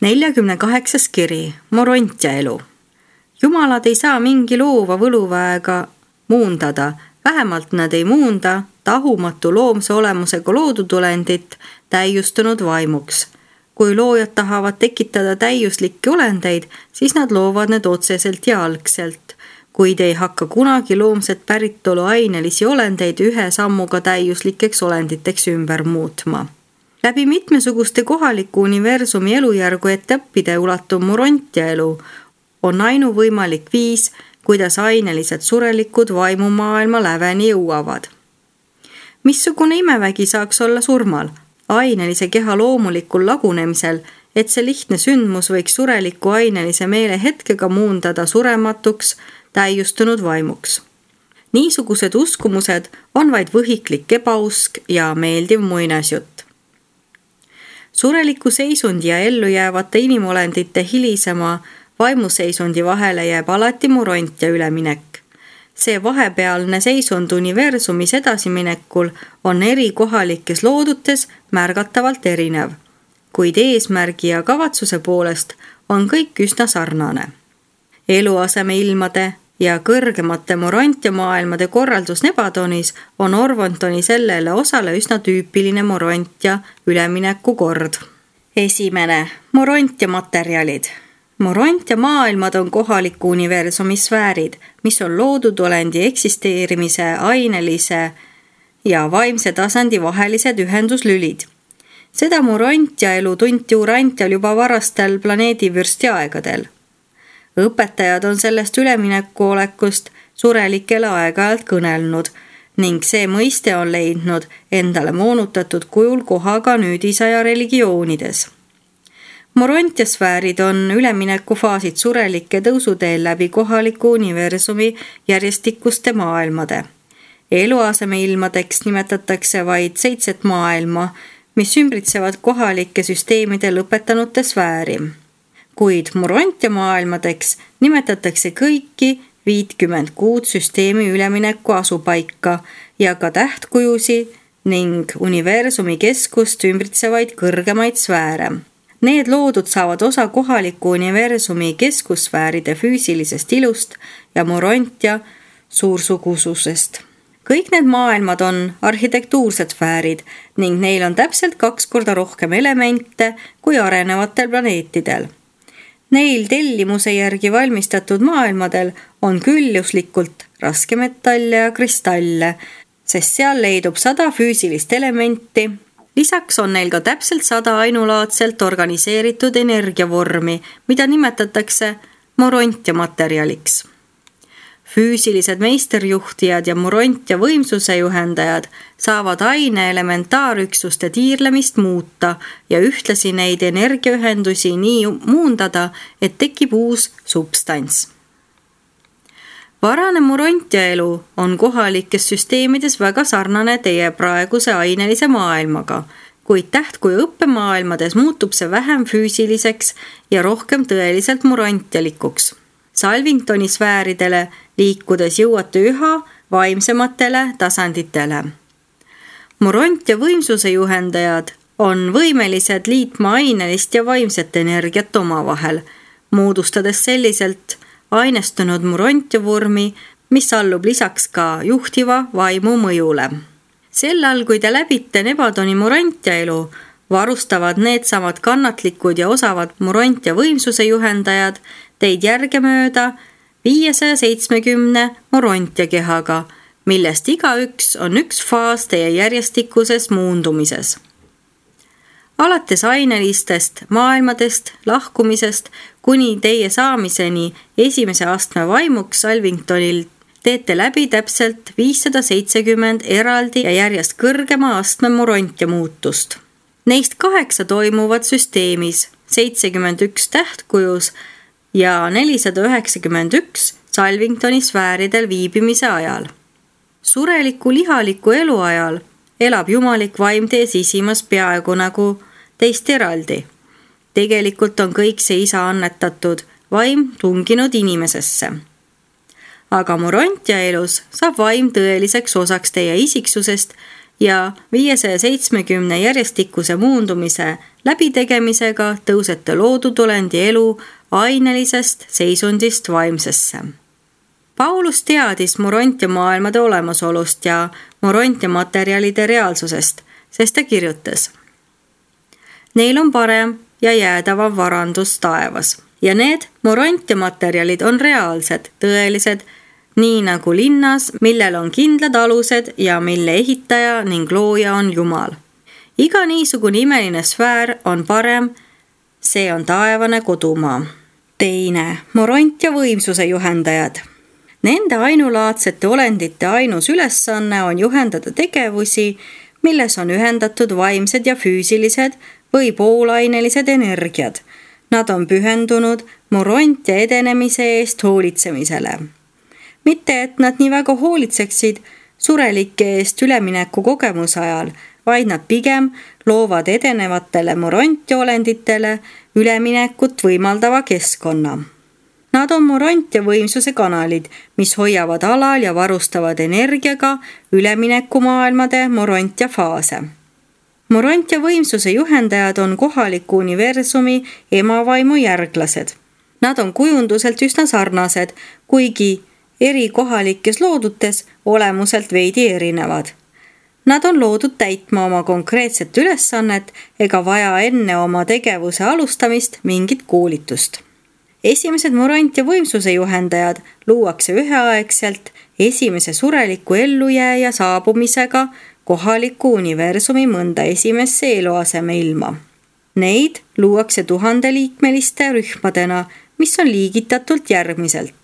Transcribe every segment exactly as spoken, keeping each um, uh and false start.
neljakümne kaheksas kiri, Morontia elu. Jumalad ei saa mingi loova võluväega muundada, vähemalt nad ei muunda tahumatu loomse olemusega loodutulendit täiustunud vaimuks. Kui loojad tahavad tekitada täiuslikke olendeid, siis nad loovad need otseselt ja algselt, kuid ei hakka kunagi loomset päritolu ainelisi olendeid ühe sammuga täiuslikeks olenditeks ümber muutma. Läbi mitmesuguste kohaliku universumi elujärgu etappide ulatuv Morontia elu on ainuvõimalik viis, kuidas ainelised surelikud vaimumaailma läveni jõuavad. Missugune imevägi saaks olla surmal? Ainelise keha loomulikul lagunemisel, et see lihtne sündmus võiks sureliku ainelise meele hetkega muundada surematuks, täiustunud vaimuks. Niisugused uskumused on vaid võhiklik ebausk ja meeldiv muinasjutt. Sureliku seisundi ja ellu jäävate inimolendite hilisema vaimuseisundi vahele jääb alati Morontia üleminek. See vahepealne seisund universumis edasiminekul on eri kohalikes loodutes märgatavalt erinev, kuid eesmärgi ja kavatsuse poolest on kõik üsna sarnane. Eluaseme ilmade ja kõrgemate Morontia maailmade korraldus Nebadonis on Orvontoni sellele osale üsna tüüpiline Morontia ülemineku kord. Esimene, Morontia materjalid. Morontia maailmad on kohaliku universumi sfäärid, mis on loodud olendi eksisteerimise, ainelise ja vaimse tasandi vahelised ühenduslülid. Seda Morontia elu tunti Urantial juba varastel planeedivürsti aegadel. Õpetajad on sellest ülemineku olekust surelikele aeg-ajalt kõnelnud ning see mõiste on leidnud endale moonutatud kujul kohaga nüüdisaja religioonides. Morontia sfäärid on üleminekufaasid surelike tõusuteel läbi kohaliku universumi järjestikuste maailmade. Eluaseme ilmadeks nimetatakse vaid seitset maailma, mis ümbritsevad kohalike süsteemide lõpetanute sfääri. Kuid Morontia maailmadeks nimetatakse kõiki viitkümmend kuud süsteemi ülemineku asupaika ja ka tähtkujusi ning universumi keskust ümbritsevaid kõrgemaid sfääre. Need loodud saavad osa kohaliku universumi keskussfääride füüsilisest ilust ja Morontia suursugususest. Kõik need maailmad on arhitektuursed sfäärid ning neil on täpselt kaks korda rohkem elemente kui arenevatel planeetidel. Neil tellimuse järgi valmistatud maailmadel on külluslikult raskemetalle ja kristalle, sest seal leidub sada füüsilist elementi. Lisaks on neil ka täpselt sada ainulaadselt organiseeritud energiavormi, mida nimetatakse Morontia materjaliks. Füüsilised meisterjuhtijad ja Morontia võimsuse juhendajad saavad aine elementaarüksuste tiirlemist muuta ja ühtlasi neid energiaühendusi nii muundada, et tekib uus substants. Varane Morontia elu on kohalikes süsteemides väga sarnane teie praeguse ainelise maailmaga, kuid tähtkuju õppemaailmades muutub see vähem füüsiliseks ja rohkem tõeliselt morontialikuks. Salvingtoni sfääridele liikudes jõuate üha vaimsematele tasanditele. Morontia võimsuse juhendajad on võimelised liitma ainelist ja vaimset energiat omavahel, moodustades selliselt ainestunud Morontia vormi, mis allub lisaks ka juhtiva vaimu mõjule. Sellal, kui te läbite Nebadoni Morontia elu, varustavad needsamad kannatlikud ja osavad Morontia võimsuse juhendajad teid järgemööda viiesaja seitsmekümne Morontia kehaga, millest igaüks on üks faas teie järjestikuses muundumises. Alates ainelistest maailmadest, lahkumisest kuni teie saamiseni esimese astme vaimuks Salvingtonil teete läbi täpselt viissada seitsekümmend eraldi ja järjest kõrgema astme Morontia muutust. Neist kaheksa toimuvad süsteemis, seitsekümmend üks tähtkujus ja nelisada üheksakümmend üks Salvingtoni sfääridel viibimise ajal. Sureliku lihaliku elu ajal elab jumalik vaim teie sisimas peaaegu nagu teist eraldi. Tegelikult on kõik see isa annetatud vaim tunginud inimesesse. Aga Morontia elus saab vaim tõeliseks osaks teie isiksusest ja viiesaja seitsmekümne järjestikuse muundumise läbitegemisega tõusete loodud olendi elu ainelisest seisundist vaimsesse. Paulus teadis morontia maailmade olemasolust ja morontia materjalide reaalsusest, sest ta kirjutas: Neil on parem ja jäädavam varandus taevas ja need morontia materjalid on reaalsed, tõelised, nii nagu linnas, millel on kindlad alused ja mille ehitaja ning looja on Jumal. Iga niisugune imeline sfäär on parem, see on taevane kodumaa. Teine, morontia võimsuse juhendajad. Nende ainulaadsete olendite ainus ülesanne on juhendada tegevusi, milles on ühendatud vaimsed ja füüsilised või poolainelised energiad. Nad on pühendunud morontia edenemise eest hoolitsemisele. Mitte, et nad nii väga hoolitseksid surelike eest ülemineku kogemuse ajal, vaid nad pigem loovad edenevatele morontia olenditele üleminekut võimaldava keskkonna. Nad on morontia võimsuse kanalid, mis hoiavad alal ja varustavad energiaga üleminekumaailmade morontia faase. Morontia võimsuse juhendajad on kohaliku universumi emavaimu järglased. Nad on kujunduselt üsna sarnased, kuigi eri kohalikes loodutes olemuselt veidi erinevad. Nad on loodud täitma oma konkreetset ülesannet ega vaja enne oma tegevuse alustamist mingit koolitust. Esimesed morontia võimsuse juhendajad luuakse üheaegselt esimese sureliku ellujääja saabumisega kohaliku universumi mõnda esimesse eluaseme ilma. Neid luuakse tuhandeliikmeliste rühmadena, mis on liigitatult järgmiselt.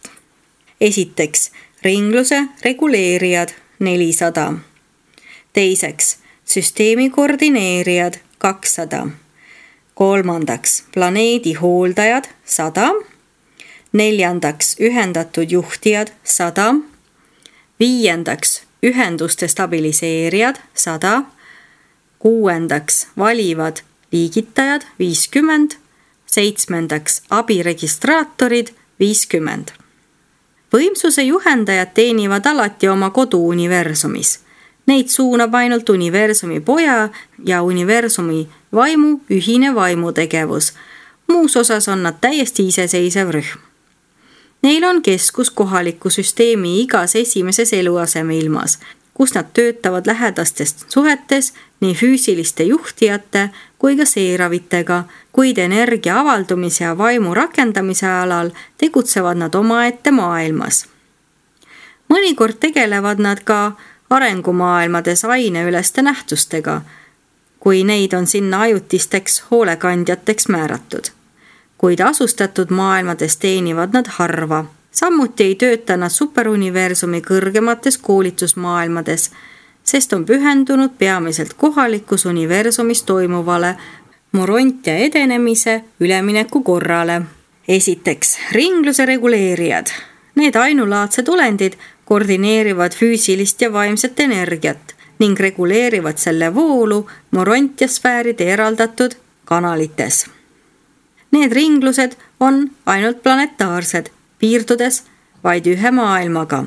Esiteks, ringluse reguleerijad nelisada. Teiseks, süsteemi koordineerijad kakssada. Kolmandaks, planeedi hooldajad sada. Neljandaks, ühendatud juhtijad sada. Viiendaks, ühenduste stabiliseerijad sada. Kuuendaks, valivad liigitajad viiskümmend. Seitsmendaks, abiregistraatorid viiskümmend. Võimsuse juhendajad teenivad alati oma koduuniversumis. Neid suunab ainult universumi poja ja universumi vaimu ühine vaimutegevus. Muus osas on nad täiesti iseseisev rühm. Neil on keskus kohaliku süsteemi igas esimeses eluaseme ilmas, kus nad töötavad lähedastest suhetes nii füüsiliste juhtijate kui ka seeravitega, kuid energia avaldumise ja vaimu rakendamise alal tegutsevad nad omaette maailmas. Mõnikord tegelevad nad ka arengumaailmades aineüleste nähtustega, kui neid on sinna ajutisteks hoolekandjateks määratud. Kuid asustatud maailmades teenivad nad harva. Samuti ei tööta nad superuniversumi kõrgemates koolitusmaailmades, sest on pühendunud peamiselt kohalikus universumis toimuvale morontia edenemise ülemineku korrale. Esiteks, ringluse reguleerijad. Need ainulaadsed olendid koordineerivad füüsilist ja vaimset energiat ning reguleerivad selle voolu morontiasfääride eraldatud kanalites. Need ringlused on ainult planetaarsed, piirdudes vaid ühe maailmaga.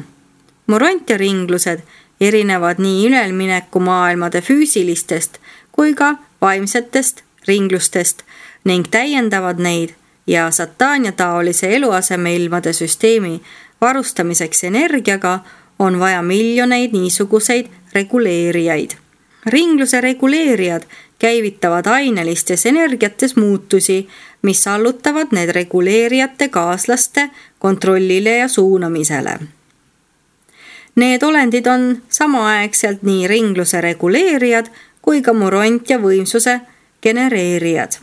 Morontia ringlused erinevad nii ülemineku maailmade füüsilistest kui ka vaimsetest ringlustest ning täiendavad neid ja Satania taolise eluaseme ilmade süsteemi varustamiseks energiaga on vaja miljoneid niisuguseid reguleerijaid. Ringluse reguleerijad käivitavad ainelistes energiates muutusi, mis allutavad need reguleerijate kaaslaste kontrollile ja suunamisele. Need olendid on samaaegselt nii ringluse reguleerijad kui ka morontia võimsuse genereerijad.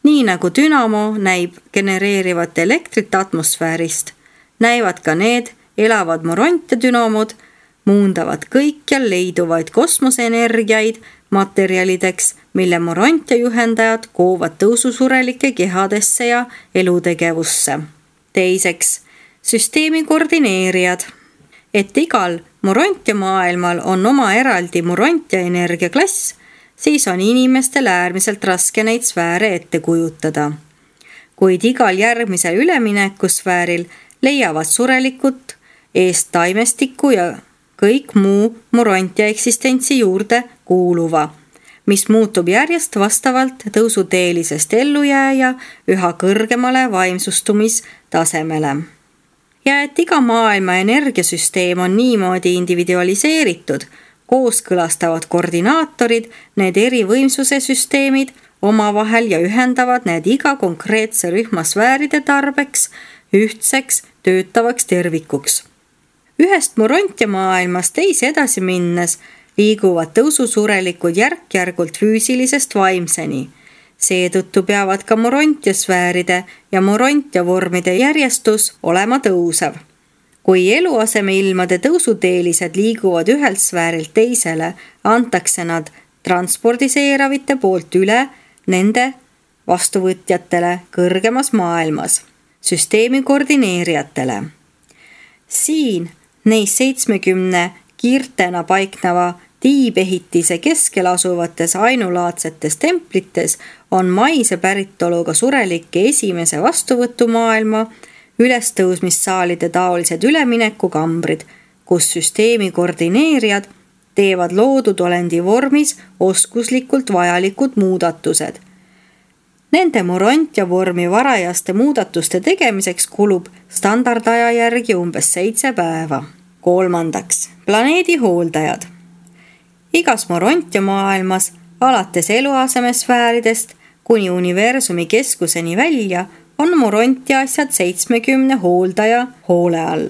Nii nagu dünamo näib genereerivat elektrit atmosfäärist, näivad ka need elavad morontia dünamod, muundavad kõikjal leiduvaid kosmoseenergiaid materjalideks, mille morontia juhendajad koovad tõususurelike kehadesse ja elutegevusse. Teiseks, süsteemi koordineerijad. Et igal morontia maailmal on oma eraldi morontia energiaklass, siis on inimestel äärmiselt raske neid sfääre ette kujutada. Kuid igal järgmisel üleminekusfääril leiavad surelikut eest taimestiku ja kõik muu Morontia eksistentsi juurde kuuluva, mis muutub järjest vastavalt tõusuteelisest ellujääja üha kõrgemale vaimsustumistasemele. Ja et iga maailma energiasüsteem on niimoodi individualiseeritud, kooskõlastavad koordinaatorid need eri võimsuse süsteemid omavahel ja ühendavad need iga konkreetse rühma sfääride tarbeks ühtseks töötavaks tervikuks. Ühest Morontia maailmast teise edasi minnes liiguvad tõususurelikud järk-järgult füüsilisest vaimseni. Seetõttu peavad ka Morontia sfääride ja Morontia vormide järjestus olema tõusev. Kui eluasemeilmade tõusuteelised liiguvad ühelt sfäärilt teisele, antakse nad transpordiseeravite poolt üle nende vastuvõtjatele kõrgemas maailmas, süsteemi koordineerijatele. Siin neis seitsmekümne kiirtena paikneva tiibehitise keskel asuvates ainulaadsetes templites on maise päritoluga surelike esimese vastuvõtumaailma ülestõusmissaalide taolised üleminekukambrid, kus süsteemi koordineerijad teevad loodud olendi vormis oskuslikult vajalikud muudatused. Nende Morontia vormi varajaste muudatuste tegemiseks kulub standardaja järgi umbes seitse päeva. Kolmandaks, planeedi hooldajad. Igas Morontia maailmas, alates eluasemesfääridest kuni universumi keskuseni välja, on Morontia asjad seitsmekümne hooldaja hoole all.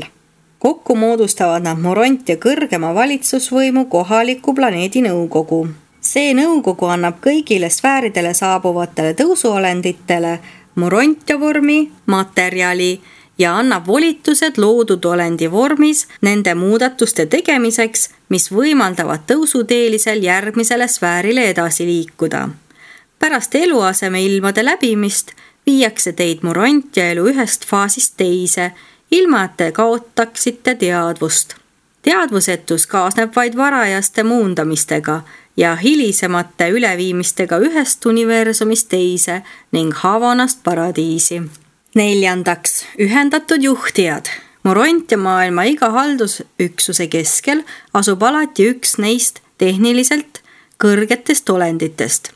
Kokku moodustavad nad Morontia kõrgema valitsusvõimu kohaliku planeedi nõukogu. See nõukogu annab kõigile sfääridele saabuvatele tõusuolenditele Morontia vormi materjali ja annab volitused loodud olendi vormis nende muudatuste tegemiseks, mis võimaldavad tõusuteelisel järgmisele sfäärile edasi liikuda. Pärast eluaseme ilmade läbimist viiakse teid Morontia elu ühest faasist teise, ilma et te kaotaksite teadvust. Teadvusetus kaasneb vaid varajaste muundamistega ja hilisemate üleviimistega ühest universumist teise ning Havanast paradiisi. Neljandaks, ühendatud juhtijad. Morontia maailma iga haldusüksuse keskel asub alati üks neist tehniliselt kõrgetest olenditest.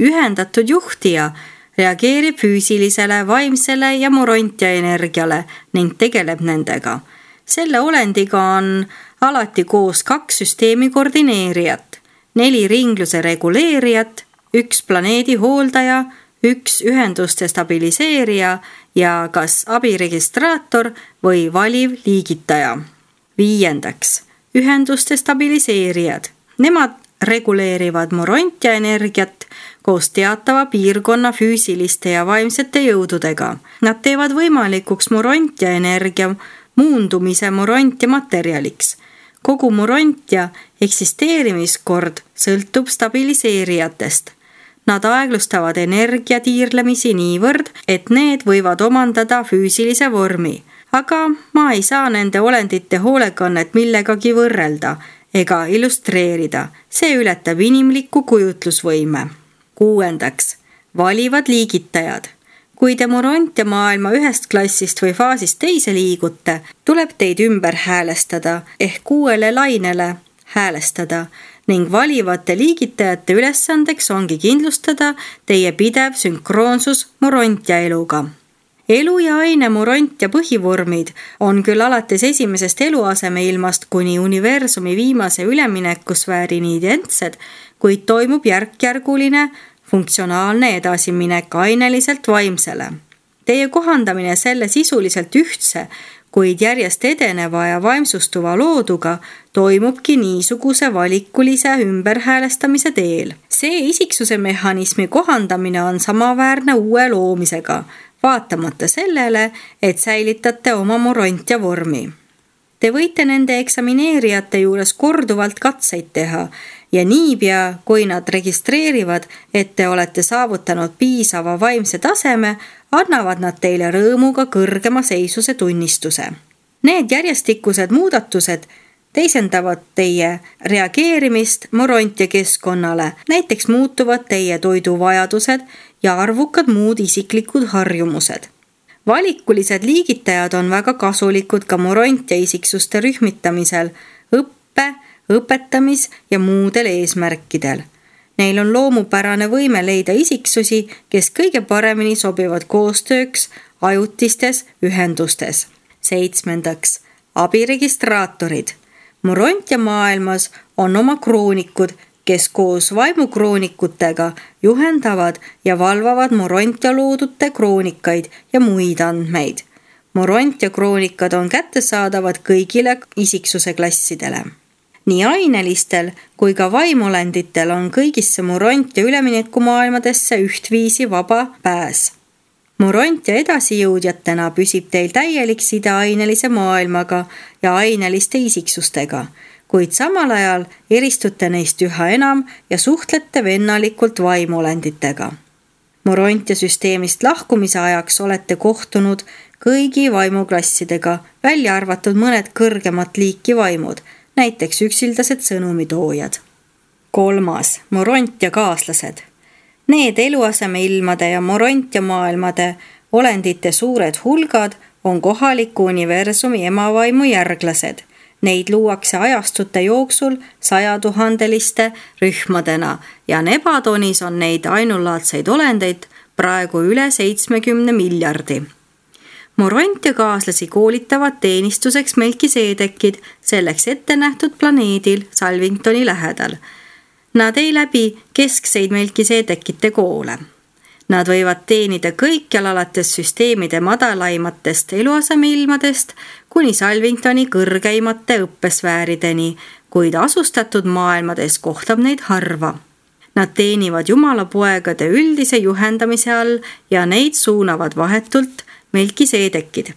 Ühendatud juhtija reageerib füüsilisele, vaimsele ja Morontia energiale ning tegeleb nendega. Selle olendiga on alati koos kaks süsteemi koordineerijat, neli ringluse reguleerijat, üks planeedi hooldaja, üks ühenduste stabiliseerija ja kas abiregistraator või valiv liigitaja. Viiendaks, ühenduste stabiliseerijad. Nemad reguleerivad Morontia energiat koos teatava piirkonna füüsiliste ja vaimsete jõududega. Nad teevad võimalikuks Morontia energia muundumise Morontia materjaliks. Kogu Morontia eksisteerimiskord sõltub stabiliseerijatest. Nad aeglustavad energia tiirlemisi niivõrd, et need võivad omandada füüsilise vormi. Aga ma ei saa nende olendite hoolekannet millegagi võrrelda ega illustreerida. See ületab inimlikku kujutlusvõime. Kuuendaks, valivad liigitajad. Kui te Morontia maailma ühest klassist või faasist teise liigute, tuleb teid ümber häälestada ehk uuele lainele häälestada ning valivate liigitajate ülesandeks ongi kindlustada teie pidev sünkroonsus Morontia eluga. Elu ja aine Morontia põhivormid on küll alates esimesest eluasemeilmast kuni universumi viimase üleminekusfäärini identsed, kuid toimub järk-järguline funktsionaalne edasiminek aineliselt vaimsele. Teie kohandamine selle sisuliselt ühtse, kuid järjest edeneva ja vaimsustuva looduga toimubki niisuguse valikulise ümberhäälestamise teel. See isiksuse mehhanismi kohandamine on samaväärne uue loomisega, vaatamata sellele, et säilitate oma Morontia vormi. Te võite nende eksamineerijate juures korduvalt katseid teha ja niipea, kui nad registreerivad, et te olete saavutanud piisava vaimse taseme, annavad nad teile rõõmuga kõrgema seisuse tunnistuse. Need järjestikused muudatused teisendavad teie reageerimist Morontia keskkonnale, näiteks muutuvad teie toiduvajadused ja arvukad muud isiklikud harjumused. Valikulised liigitajad on väga kasulikud ka Morontia isiksuste rühmitamisel, õppe õpetamis- ja muudel eesmärkidel. Neil on loomupärane võime leida isiksusi, kes kõige paremini sobivad koostööks ajutistes ühendustes. Seitsmendaks, abiregistraatorid. Morontia maailmas on oma kroonikud, kes koos vaimukroonikutega juhendavad ja valvavad Morontia loodute kroonikaid ja muid andmeid. Morontia kroonikad on kättesaadavad kõigile isiksuse klassidele. Nii ainelistel kui ka vaimuolenditel on kõigisse Morontia üleminekumaailmadesse ühtviisi vaba pääs. Morontia edasijõudjatena püsib teil täielik side ainelise maailmaga ja aineliste isiksustega, kuid samal ajal eristute neist üha enam ja suhtlete vennalikult vaimuolenditega. Morontia süsteemist lahkumise ajaks olete kohtunud kõigi vaimuklassidega, välja arvatud mõned kõrgemat liiki vaimud, näiteks üksildased sõnumitoojad. Kolmas, Morontia kaaslased. Need eluasemeilmade ja Morontia maailmade olendite suured hulgad on kohaliku universumi emavaimu järglased. Neid luuakse ajastute jooksul sajatuhandeliste rühmadena ja Nebadonis on neid ainulaadseid olendeid praegu üle seitsmekümne miljardi. Morontia kaaslasi koolitavad teenistuseks Melkiseedekid selleks ette nähtud planeedil Salvingtoni lähedal. Nad ei läbi keskseid Melkiseedekite koole. Nad võivad teenida kõikjal alates süsteemide madalaimatest eluasemeilmadest kuni Salvingtoni kõrgeimate õppesfäärideni, kuid asustatud maailmades kohtab neid harva. Nad teenivad Jumala poegade üldise juhendamise all ja neid suunavad vahetult Melkiseedekid.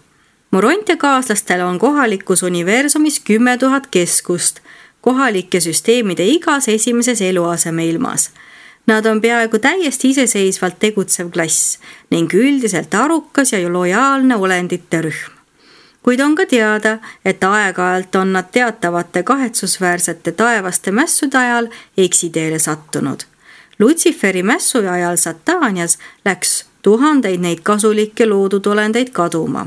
Morontia kaaslastel on kohalikus universumis kümme tuhat keskust, kohalike süsteemide igas esimeses eluasemeilmas. Nad on peaaegu täiesti iseseisvalt tegutsev klass ning üldiselt arukas ja lojaalne olendite rühm. Kuid on ka teada, et aeg-ajalt on nad teatavate kahetsusväärsete taevaste mässude ajal eksiteele sattunud. Lutsiferi mässu ajal Sataanias läks tuhandeid neid kasulikke loodud olendeid kaduma.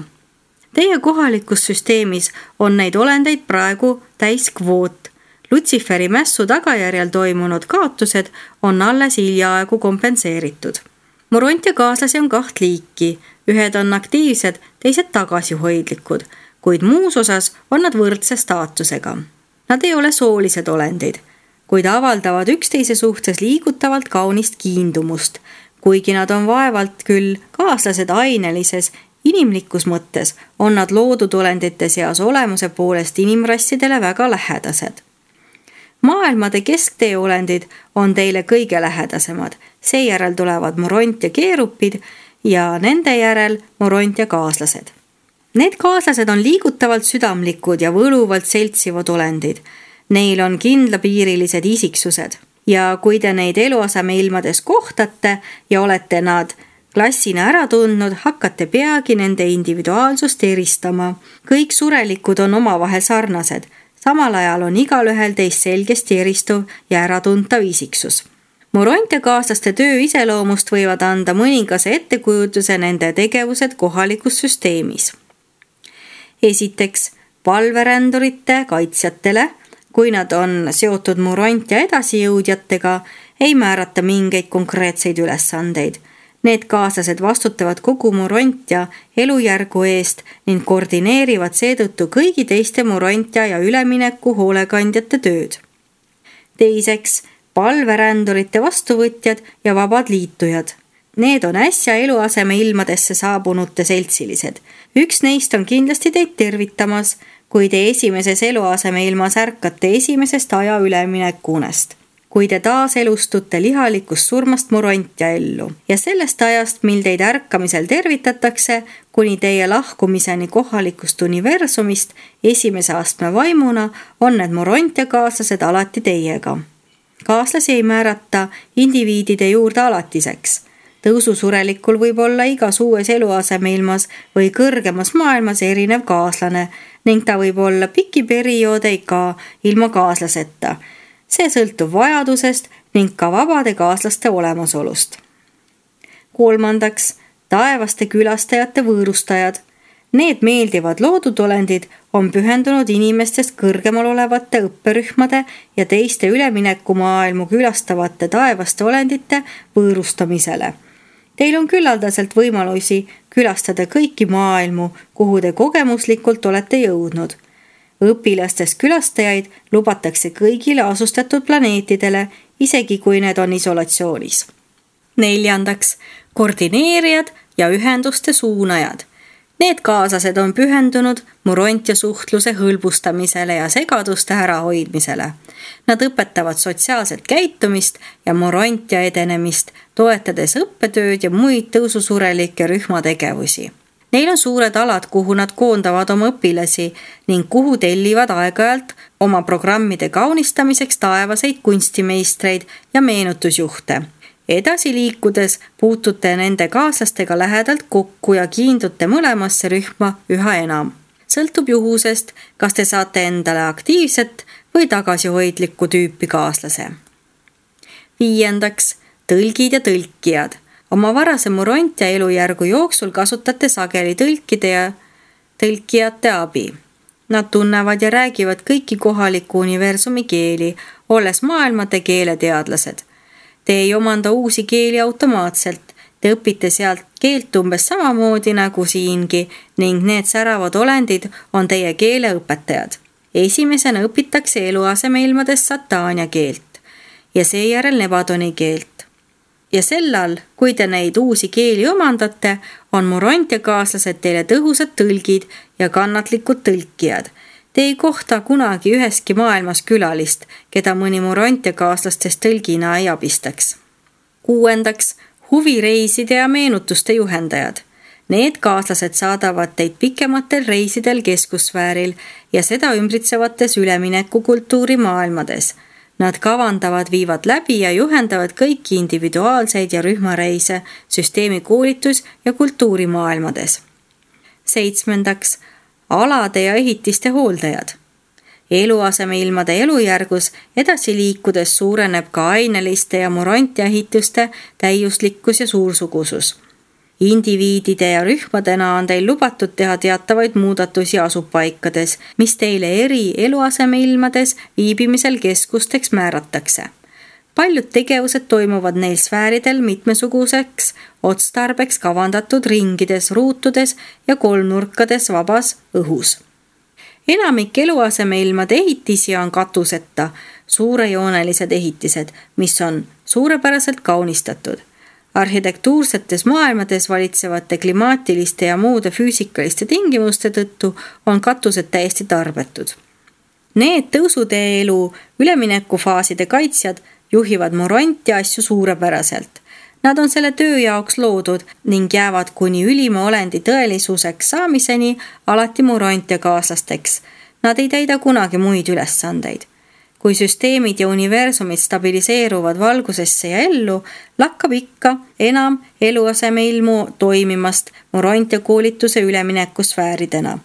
Teie kohalikus süsteemis on neid olendeid praegu täis kvoot. Lutsiferi mässu tagajärjel toimunud kaotused on alles hiljaaegu kompenseeritud. Morontia kaaslasi on kaht liiki. Ühed on aktiivsed, teised tagasihoidlikud, kuid muus osas on nad võrdse staatusega. Nad ei ole soolised olendid, kuid avaldavad üksteise suhtes liigutavalt kaunist kiindumust, kuigi nad on vaevalt küll kaaslased ainelises, inimlikus mõttes on nad loodud olendite seas olemuse poolest inimrassidele väga lähedased. Maailmade kesktee olendid on teile kõige lähedasemad, seejärel tulevad Morontia keerupid ja nende järel Morontia kaaslased. Need kaaslased on liigutavalt südamlikud ja võluvalt seltsivad olendid. Neil on kindlapiirilised isiksused ja kui te neid eluasemeilmades kohtate ja olete nad klassina ära tundnud, hakkate peagi nende individuaalsust eristama. Kõik surelikud on omavahel sarnased. Samal ajal on igalühel teist selgesti eristuv ja äratuntav isiksus. Morontia kaaslaste töö iseloomust võivad anda mõningase ettekujutuse nende tegevused kohalikus süsteemis. Esiteks, palverändurite kaitsjatele, kui nad on seotud Morontia edasijõudjatega, ei määrata mingeid konkreetseid ülesandeid. Need kaaslased vastutavad kogu Morontia elujärgu eest ning koordineerivad seetõttu kõigi teiste Morontia ja ülemineku hoolekandjate tööd. Teiseks, palverändurite vastuvõtjad ja vabad liitujad. Need on äsja eluaseme ilmadesse saabunute seltsilised. Üks neist on kindlasti teid tervitamas, kui te esimeses eluaseme ilmas ärkate esimesest aja üleminekunest. Kui te taas elustute lihalikust surmast Morontia ellu ja sellest ajast, mil teid ärkamisel tervitatakse, kuni teie lahkumiseni kohalikust universumist esimese astme vaimuna, on need Morontia kaaslased alati teiega. Kaaslasi ei määrata indiviidide juurde alatiseks. Tõususurelikul võib olla igas uues eluasemeilmas või kõrgemas maailmas erinev kaaslane ning ta võib olla piki perioode ka ilma kaaslaseta. See sõltub vajadusest ning ka vabade kaaslaste olemasolust. Kolmandaks, taevaste külastajate võõrustajad. Need meeldivad loodudolendid on pühendunud inimestest kõrgemal olevate õpperühmade ja teiste üleminekumaailmu külastavate taevaste olendite võõrustamisele. Teil on küllaldaselt võimalusi külastada kõiki maailmu, kuhu te kogemuslikult olete jõudnud. Õpilastest külastajaid lubatakse kõigile asustatud planeetidele, isegi kui need on isolatsioonis. Neljandaks, koordineerijad ja ühenduste suunajad. Need kaaslased on pühendunud Morontia suhtluse hõlbustamisele ja segaduste ärahoidmisele. Nad õpetavad sotsiaalset käitumist ja Morontia edenemist, toetades õppetööd ja muid tõususurelikke rühmategevusi. Neil on suured alad, kuhu nad koondavad oma õpilasi ning kuhu tellivad aeg-ajalt oma programmide kaunistamiseks taevaseid kunstimeistreid ja meenutusjuhte. Edasi liikudes puutute nende kaaslastega lähedalt kokku ja kiindute mõlemasse rühma üha enam. Sõltub juhusest, kas te saate endale aktiivset või tagasihoidlikku tüüpi kaaslase. Viiendaks, tõlgid ja tõlkijad. Oma varase Morontia elujärgu jooksul kasutate sageli tõlkide ja tõlkijate abi. Nad tunnevad ja räägivad kõiki kohaliku universumi keeli, olles maailmade keeleteadlased. Te ei omanda uusi keeli automaatselt, te õpite sealt keelt umbes samamoodi nagu siingi ning need säravad olendid on teie keeleõpetajad. Esimesena õpitakse eluasemeilmades Satania keelt ja seejärel Nebadoni keelt. Ja sellal, kui te neid uusi keeli omandate, on Morontia kaaslased teile tõhusad tõlgid ja kannatlikud tõlkijad. Te ei kohta kunagi üheski maailmas külalist, keda mõni Morontia kaaslastest tõlgina ei abistaks. Kuuendaks, huvireiside ja meenutuste juhendajad. Need kaaslased saadavad teid pikematel reisidel keskusfääril ja seda ümbritsevates üleminekukultuuri maailmades. Nad kavandavad, viivad läbi ja juhendavad kõiki individuaalseid ja rühmareise süsteemi koolitus- ja kultuurimaailmades. Seitsmendaks, alade ja ehitiste hooldajad. Eluasemeilmade elujärgus edasi liikudes suureneb ka aineliste ja Morontia ehituste täiuslikkus ja suursugusus. Indiviidide ja rühmadena on teil lubatud teha teatavaid muudatusi asupaikades, mis teile eri eluasemeilmades viibimisel keskusteks määratakse. Paljud tegevused toimuvad neil sfääridel mitmesuguseks otstarbeks kavandatud ringides, ruutudes ja kolmnurkades vabas õhus. Enamik eluasemeilmade ehitisi on katuseta, suurejoonelised ehitised, mis on suurepäraselt kaunistatud. Arhitektuursetes maailmades valitsevate klimaatiliste ja muude füüsikaliste tingimuste tõttu on katused täiesti tarbetud. Need tõusutee elu üleminekufaaside kaitsjad juhivad Morontia asju suurepäraselt. Nad on selle töö jaoks loodud ning jäävad kuni ülima olendi tõelisuseks saamiseni alati Morontia kaaslasteks. Nad ei täida kunagi muid ülesandeid. Kui süsteemid ja universumid stabiliseeruvad valgusesse ja ellu, lakkab ikka enam eluasemeilmu toimimast Morontia koolituse üleminekusfääridena.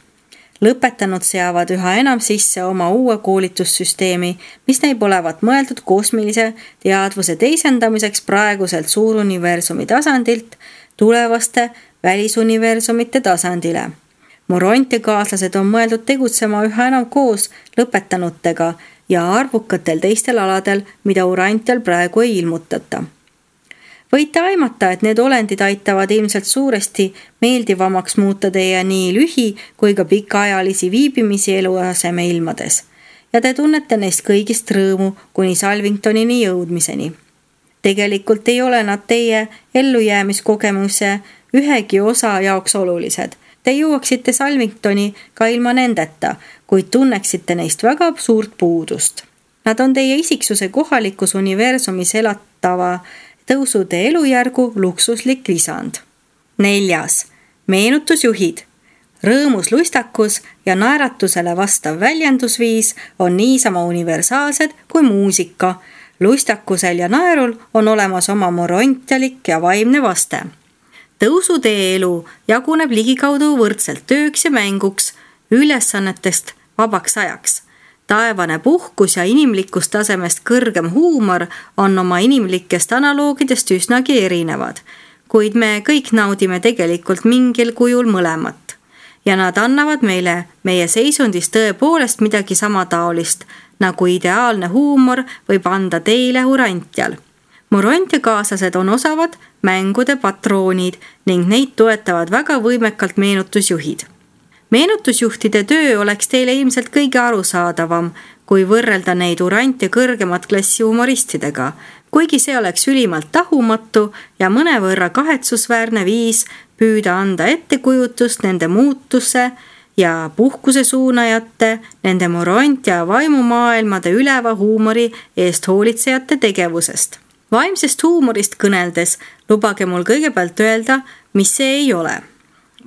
Lõpetanud seavad üha enam sisse oma uue koolitussüsteemi, mis näib olevat mõeldud kosmilise teadvuse teisendamiseks praeguselt suuruniversumi tasandilt tulevaste välisuniversumite tasandile. Morontia kaaslased on mõeldud tegutsema üha enam koos lõpetanutega ja arvukatel teistel aladel, mida Urantial praegu ei ilmutata. Võite aimata, et need olendid aitavad ilmselt suuresti meeldivamaks muuta teie nii lühi kui ka pikaajalisi viibimisi eluaseme ilmades ja te tunnete neist kõigist rõõmu kuni Salvingtonini jõudmiseni. Tegelikult ei ole nad teie ellujäämiskogemuse ühegi osa jaoks olulised. Te jõuaksite Salvingtoni ka ilma nendeta, kuid tunneksite neist väga suurt puudust. Nad on teie isiksuse kohalikus universumis elatava tõusude elujärgu luksuslik lisand. Neljas, meenutusjuhid. Rõõmus, lustakus ja naeratusele vastav väljendusviis on niisama universaalsed kui muusika. Lustakusel ja naerul on olemas oma morontialik ja vaimne vaste. Tõusutee elu jaguneb ligikaudu võrdselt tööks ja mänguks, ülesannetest vabaks ajaks. Taevane puhkus ja inimlikust tasemest kõrgem huumor on oma inimlikest analoogidest üsnagi erinevad, kuid me kõik naudime tegelikult mingil kujul mõlemat. ja nad annavad meile meie seisundis tõepoolest midagi samataolist, nagu ideaalne huumor võib anda teile Urantjal. Morontia kaaslased on osavad mängude patroonid ning neid toetavad väga võimekalt meenutusjuhid. Meenutusjuhtide töö oleks teile ilmselt kõige arusaadavam, kui võrrelda neid Urantja kõrgemat klassi humoristidega, kuigi see oleks ülimalt tahumatu ja mõnevõrra kahetsusväärne viis püüda anda ettekujutust nende muutuse ja puhkuse suunajate, nende Morontia vaimumaailmade üleva huumori eest hoolitsejate tegevusest. Vaimsest huumorist kõneldes lubage mul kõigepealt öelda, mis see ei ole.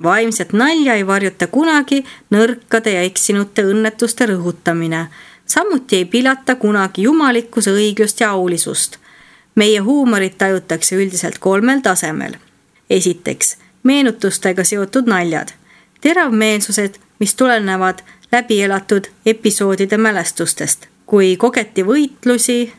Vaimset nalja ei varjuta kunagi nõrkade ja eksinute õnnetuste rõhutamine. Samuti ei pilata kunagi jumalikkuse õiglust ja aulisust. Meie huumorit tajutakse üldiselt kolmel tasemel. Esiteks, meenutustega seotud naljad. Teravmeelsused, mis tulenevad läbi elatud episoodide mälestustest, kui kogeti võitlusi,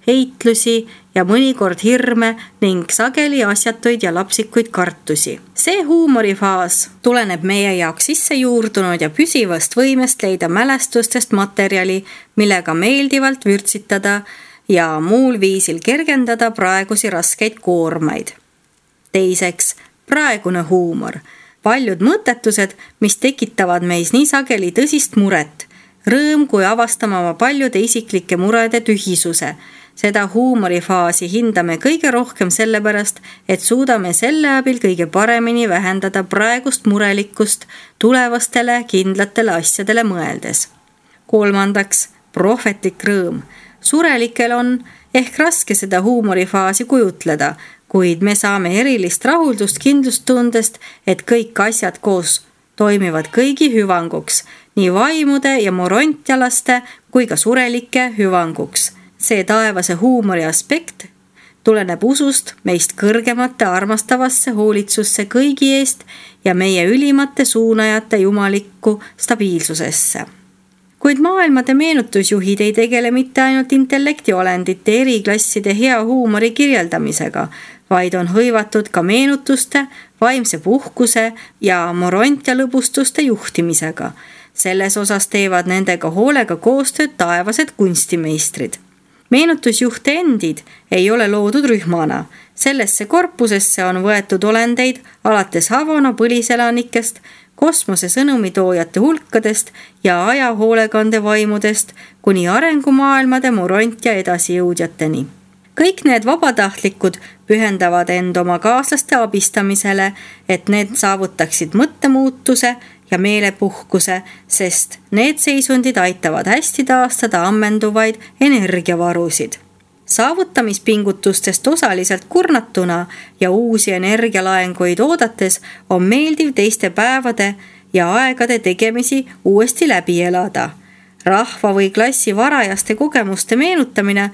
heitlusi ja mõnikord hirme ning sageli asjatuid ja lapsikuid kartusi. See huumorifaas tuleneb meie jaoks sisse juurdunud ja püsivast võimest leida mälestustest materjali, millega meeldivalt vürtsitada ja muul viisil kergendada praegusi raskeid koormaid. Teiseks, praegune huumor. Paljud mõttetused, mis tekitavad meis nii sageli tõsist muret. Rõõm, kui avastame oma paljude isiklike murede tühisuse. Seda huumorifaasi hindame kõige rohkem sellepärast, et suudame selle abil kõige paremini vähendada praegust murelikkust tulevastele kindlatele asjadele mõeldes. Kolmandaks, prohvetlik rõõm. Surelikel on ehk raske seda huumorifaasi kujutleda, kuid me saame erilist rahuldust kindlustundest, et kõik asjad koos toimivad kõigi hüvanguks, nii vaimude ja morontialaste kui ka surelike hüvanguks. See taevase huumori aspekt tuleneb usust meist kõrgemate armastavasse hoolitsusse kõigi eest ja meie ülimate suunajate jumalikku stabiilsusesse. Kuid maailmade meenutusjuhid ei tegele mitte ainult intellektiolendite eriklasside hea huumori kirjeldamisega, vaid on hõivatud ka meenutuste, vaimse puhkuse ja morontia lõbustuste juhtimisega. Selles osas teevad nendega hoolega koostööd taevased kunstimeistrid. Meenutusjuhte endid ei ole loodud rühmana. Sellesse korpusesse on võetud olendeid alates Havana põliselanikest, kosmose sõnumitoojate hulkadest ja ajahoolekande vaimudest kuni arengumaailmade morontia edasijõudjateni. Kõik need vabatahtlikud pühendavad end oma kaaslaste abistamisele, et need saavutaksid mõttemuutuse ja meelepuhkuse, sest need seisundid aitavad hästi taastada ammenduvaid energiavarusid. Saavutamispingutustest osaliselt kurnatuna ja uusi energialaenguid oodates on meeldiv teiste päevade ja aegade tegemisi uuesti läbi elada. Rahva või klassi varajaste kogemuste meenutamine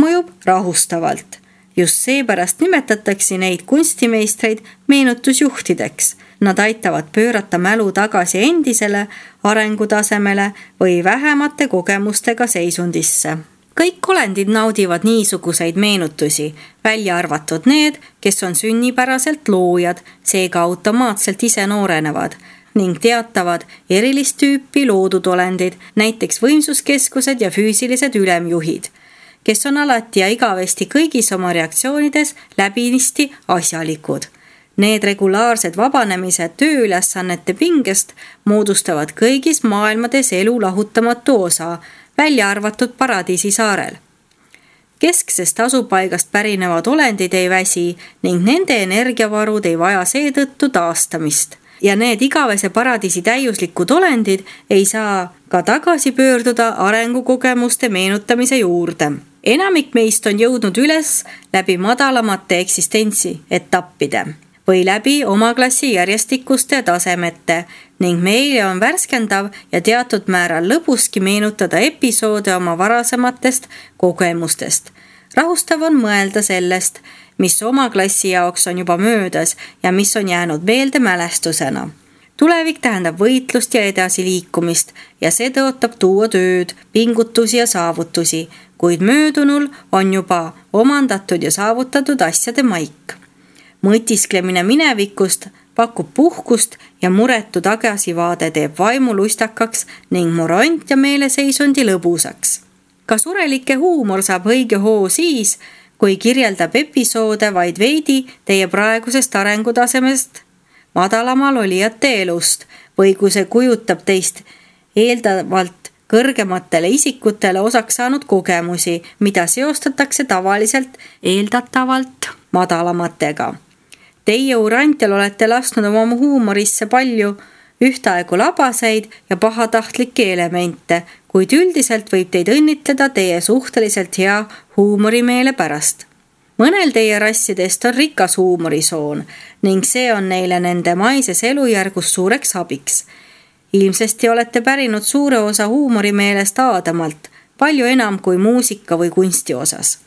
mõjub rahustavalt. Just seepärast nimetatakse neid kunstimeistreid meenutusjuhtideks. Nad aitavad pöörata mälu tagasi endisele arengutasemele või vähemate kogemustega seisundisse. Kõik olendid naudivad niisuguseid meenutusi, välja arvatud need, kes on sünnipäraselt loojad, seega automaatselt ise noorenevad ning teatavad erilist tüüpi loodud olendid, näiteks võimsuskeskused ja füüsilised ülemjuhid, kes on alati ja igavesti kõigis oma reaktsioonides läbinisti asjalikud. Need regulaarsed vabanemised tööülesannete pingest moodustavad kõigis maailmades elu lahutamatu osa, välja arvatud Paradiisi saarel. Kesksest asupaigast pärinevad olendid ei väsi ning nende energiavarud ei vaja seetõttu taastamist. Ja need igavese paradiisi täiuslikud olendid ei saa ka tagasi pöörduda arengukogemuste meenutamise juurde. Enamik meist on jõudnud üles läbi madalamate eksistentsi etappide või läbi oma klassi järjestikuste tasemete ning meile on värskendav ja teatud määral lõbuski meenutada episoode oma varasematest kogemustest. Rahustav on mõelda sellest, mis oma klassi jaoks on juba möödas ja mis on jäänud meelde mälestusena. Tulevik tähendab võitlust ja edasiliikumist ja see tõotab tuua tööd, pingutusi ja saavutusi, kuid möödunul on juba omandatud ja saavutatud asjade maik. Mõtisklemine minevikust pakub puhkust ja muretu tagasivaade teeb vaimu lustakaks ning morant ja meeleseisundi lõbusaks. Ka surelike huumor saab õige hoo siis, kui kirjeldab episoode vaid veidi teie praegusest arengutasemest madalamal olijate elust või kui see kujutab teist eeldavalt kõrgematele isikutele osaks saanud kogemusi, mida seostatakse tavaliselt eeldatavalt madalamatega. Teie Urantial olete lasknud oma huumorisse palju ühtaegu labaseid ja pahatahtlikke elemente, kuid üldiselt võib teid õnnitleda teie suhteliselt hea huumorimeele pärast. Mõnel teie rassidest on rikas huumorisoon ning see on neile nende maises elujärgus suureks abiks. Ilmsesti olete pärinud suure osa huumorimeelest Aadamalt, palju enam kui muusika või kunsti osas.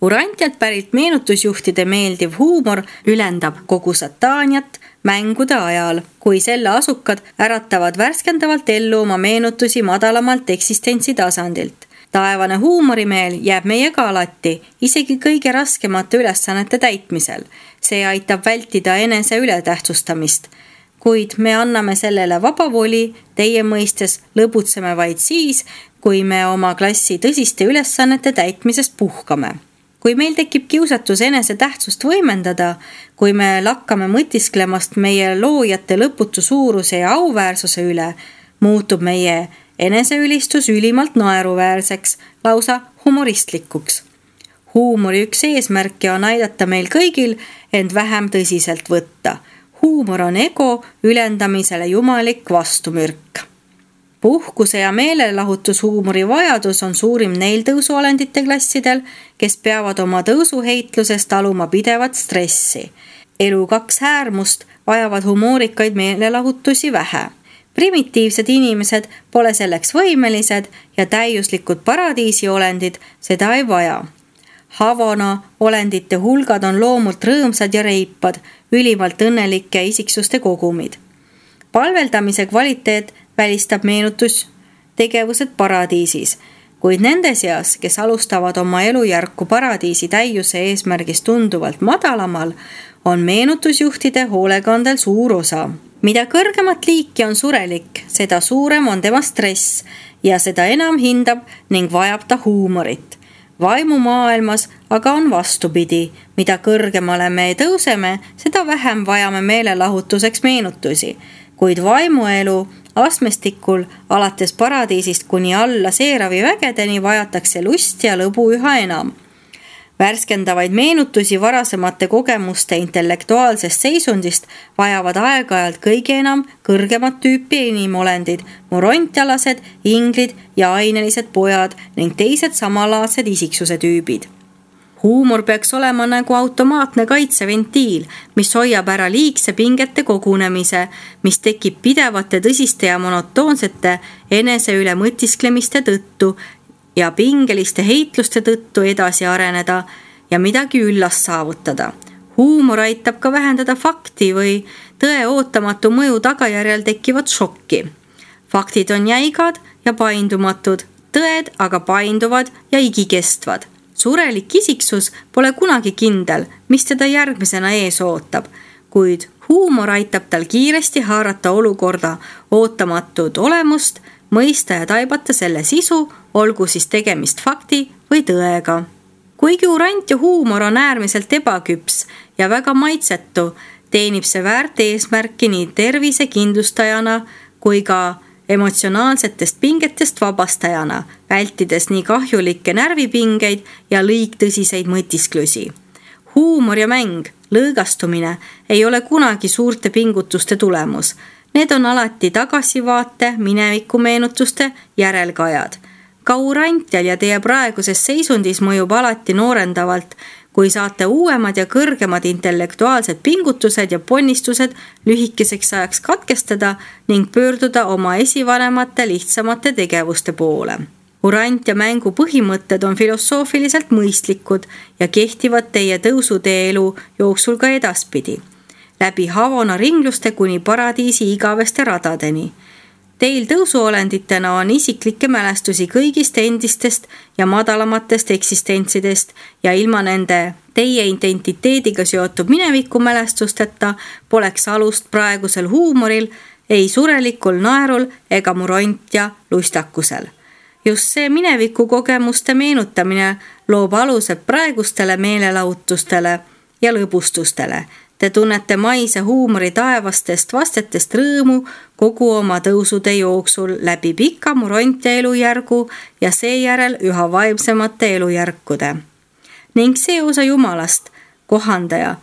Urantialt pärit meenutusjuhtide meeldiv huumor ülendab kogu sataaniat mängude ajal, kui selle asukad äratavad värskendavalt ellu oma meenutusi madalamalt eksistentsi tasandilt. Taevane huumorimeel jääb meiega alati, isegi kõige raskemate ülesannete täitmisel. See aitab vältida enese ületähtsustamist. Kuid me anname sellele vaba voli, teie mõistes lõbutseme vaid siis, kui me oma klassi tõsiste ülesannete täitmisest puhkame. Kui meil tekib kiusatus enese tähtsust võimendada, kui me lakkame mõtisklemast meie loojate lõputu suuruse ja auväärsuse üle, muutub meie eneseülistus ülimalt naeruväärseks, lausa humoristlikuks. Huumori üks eesmärke on aidata meil kõigil end vähem tõsiselt võtta. Huumor on ego ülendamisele jumalik vastumürk. Puhkuse ja meelelahutushuumori vajadus on suurim neil tõusuolendite klassidel, kes peavad oma tõusuheitlusest taluma pidevat stressi. Elu kaks äärmust vajavad humoorikaid meelelahutusi vähe. Primitiivsed inimesed pole selleks võimelised ja täiuslikud paradiisiolendid seda ei vaja. Havana olendite hulgad on loomult rõõmsad ja reipad, ülimalt õnnelike isiksuste kogumid. Palveldamise kvaliteet välistab meenutustegevused paradiisis, kuid nende seas, kes alustavad oma elujärku paradiisi täiuse eesmärgist tunduvalt madalamal, on meenutusjuhtide hoolekandel suur osa. Mida kõrgemat liiki on surelik, seda suurem on tema stress ja seda enam hindab ning vajab ta huumorit. Vaimumaailmas aga on vastupidi, mida kõrgemale me tõuseme, seda vähem vajame meelelahutuseks meenutusi, kuid vaimuelu astmestikul alates paradiisist kuni alla seeravi vägedeni vajatakse lust ja lõbu üha enam. Värskendavaid meenutusi varasemate kogemuste intellektuaalsest seisundist vajavad aeg-ajalt kõige enam kõrgemat tüüpi inimolendid, morontialased, inglid ja ainelised pojad ning teised samalaadsed isiksuse tüübid. Huumor peaks olema nagu automaatne kaitseventiil, mis hoiab ära liigse pingete kogunemise, mis tekib pidevate tõsiste ja monotoonsete enese üle mõtisklemiste tõttu ja pingeliste heitluste tõttu edasi areneda ja midagi üllast saavutada. Huumor aitab ka vähendada fakti või tõe ootamatu mõju tagajärjel tekkivat šokki. Faktid on jäigad ja paindumatud, tõed aga painduvad ja igikestvad. Surelik isiksus pole kunagi kindel, mis teda järgmisena ees ootab, kuid huumor aitab tal kiiresti haarata olukorda ootamatut olemust, mõista ja taibata selle sisu, olgu siis tegemist fakti või tõega. Kuigi urant ja huumor on äärmiselt ebaküps ja väga maitsetu, teenib see väärt eesmärki nii tervise kindlustajana kui ka emotsionaalsetest pingetest vabastajana, vältides nii kahjulikke närvipingeid ja liigtõsiseid mõtisklusi. Huumor ja mäng, lõõgastumine ei ole kunagi suurte pingutuste tulemus. Need on alati tagasivaate, minevikumeenutuste järelkajad. Ka urantial ja teie praeguses seisundis mõjub alati noorendavalt, kui saate uuemad ja kõrgemad intellektuaalsed pingutused ja ponnistused lühikeseks ajaks katkestada ning pöörduda oma esivanemate lihtsamate tegevuste poole. Urant ja mängu põhimõtted on filosoofiliselt mõistlikud ja kehtivad teie tõusutee elu jooksul ka edaspidi. Läbi Havana ringluste kuni paradiisi igaveste radadeni. Teil tõusuolenditena on isiklikke mälestusi kõigist endistest ja madalamatest eksistentsidest ja ilma nende Teie identiteediga seotud minevikumälestusteta poleks alust praegusel huumoril, ei surelikul naerul ega murontja lustakusel. Just see mineviku kogemuste meenutamine loob alused praegustele meelelahutustele ja lõbustustele. Te tunnete maise huumori taevastest vastetest rõõmu kogu oma tõusude jooksul läbi pika murontja elujärgu ja seejärel üha vaimsemate elujärkude. Ning see osa Jumalast, kohandaja,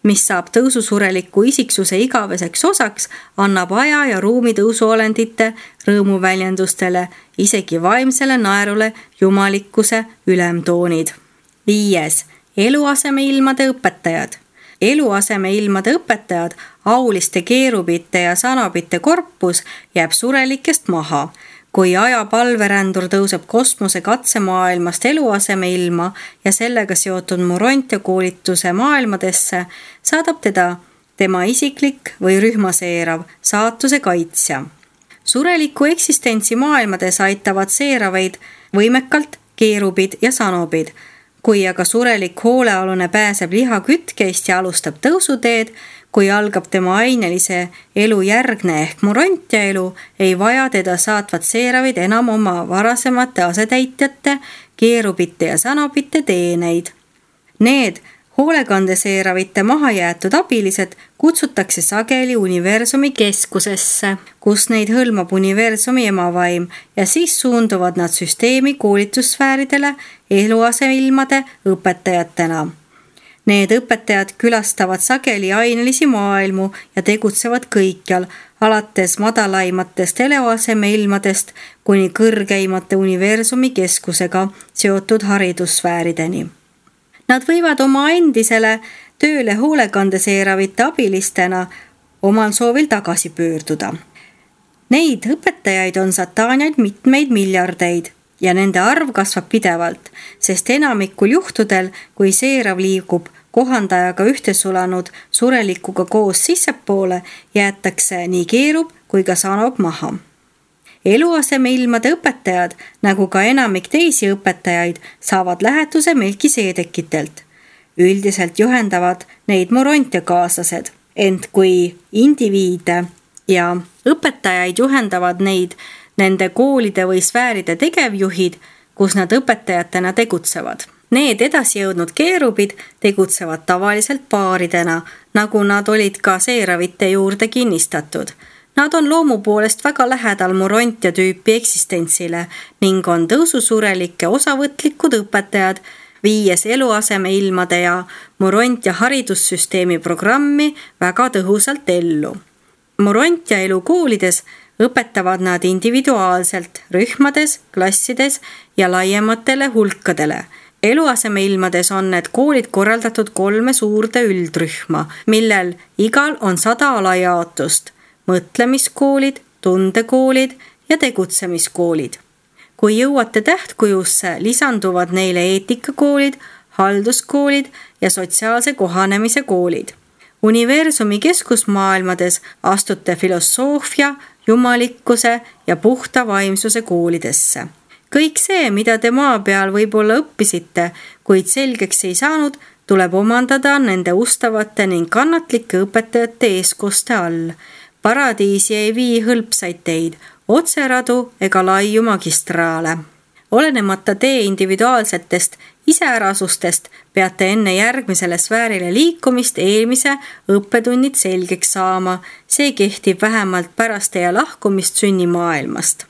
mis saab tõususureliku isiksuse igaveseks osaks, annab aja ja ruumi tõusuolendite rõõmuväljendustele, isegi vaimsele naerule jumalikkuse ülemtoonid. Viies. Eluasemeilmade õpetajad. Eluasemeilmade õpetajad, auliste keerubite ja sanobite korpus jääb surelikest maha. Kui aja palverändur tõuseb kosmose katsemaailmast eluasemeilma ja sellega seotud murontja koolituse maailmadesse, saadab teda tema isiklik või rühmaseerav saatuse kaitsja. Sureliku eksistentsi maailmades aitavad seeraveid võimekalt keerubid ja sanobid. Kui aga surelik hoolealune pääseb lihakütkeist ja alustab tõusuteed, kui algab tema ainelise elu järgne ehk murontja elu, ei vaja teda saatvad seeravid enam oma varasemate asetäitjate, keerubite ja sanobite teeneid. Need hoolekandeseeravite mahajäetud abilised kutsutakse sageli universumi keskusesse, kus neid hõlmab universumi emavaim ja siis suunduvad nad süsteemi koolitussfääridele eluaseilmade õpetajatena. Need õpetajad külastavad sageli ainelisi maailmu ja tegutsevad kõikjal, alates madalaimatest eluasemeilmadest kuni kõrgeimate universumi keskusega seotud haridussfäärideni. Nad võivad oma endisele tööle hoolekandeseeravite abilistena omal soovil tagasi pöörduda. Neid õpetajaid on sataaniaid mitmeid miljardeid ja nende arv kasvab pidevalt, sest enamikul juhtudel, kui seerav liigub kohandajaga ühtesulanud surelikuga koos sissepoole, jäetakse nii keerub kui ka sanob maha. Eluasemeilmade õpetajad, nagu ka enamik teisi õpetajaid, saavad lähetuse Melkiseedekitelt. Üldiselt juhendavad neid murontjakaaslased, ent kui indiviide ja õpetajaid juhendavad neid nende koolide või sfääride tegevjuhid, kus nad õpetajatena tegutsevad. Need edasi jõudnud keerubid tegutsevad tavaliselt paaridena, nagu nad olid ka seeravite juurde kinnistatud. Nad on loomu poolest väga lähedal murontja tüüpi eksistentsile ning on tõususurelike osavõtlikud õpetajad, viies eluasemeilmade ja murontja haridussüsteemi programmi väga tõhusalt ellu. Murontja elu koolides õpetavad nad individuaalselt, rühmades, klassides ja laiematele hulkadele. Eluasemeilmades on need koolid korraldatud kolme suurde üldrühma, millel igal on sada alajaotust. Mõtlemiskoolid, tundekoolid ja tegutsemiskoolid. Kui jõuate tähtkujusse, lisanduvad neile eetikakoolid, halduskoolid ja sotsiaalse kohanemise koolid. Universumi keskusmaailmades astute filosoofia, jumalikkuse ja puhta vaimsuse koolidesse. Kõik see, mida te maa peal võib-olla õppisite, kuid selgeks ei saanud, tuleb omandada nende ustavate ning kannatlike õpetajate eeskoste all. Paradiisi ei vii hõlpsaid teid, otseradu ega laiu magistraale. Olenemata tee individuaalsetest iseärasustest peate enne järgmisele sfäärile liikumist eelmise õppetunnid selgeks saama. See kehtib vähemalt pärast teie lahkumist sünnimaailmast.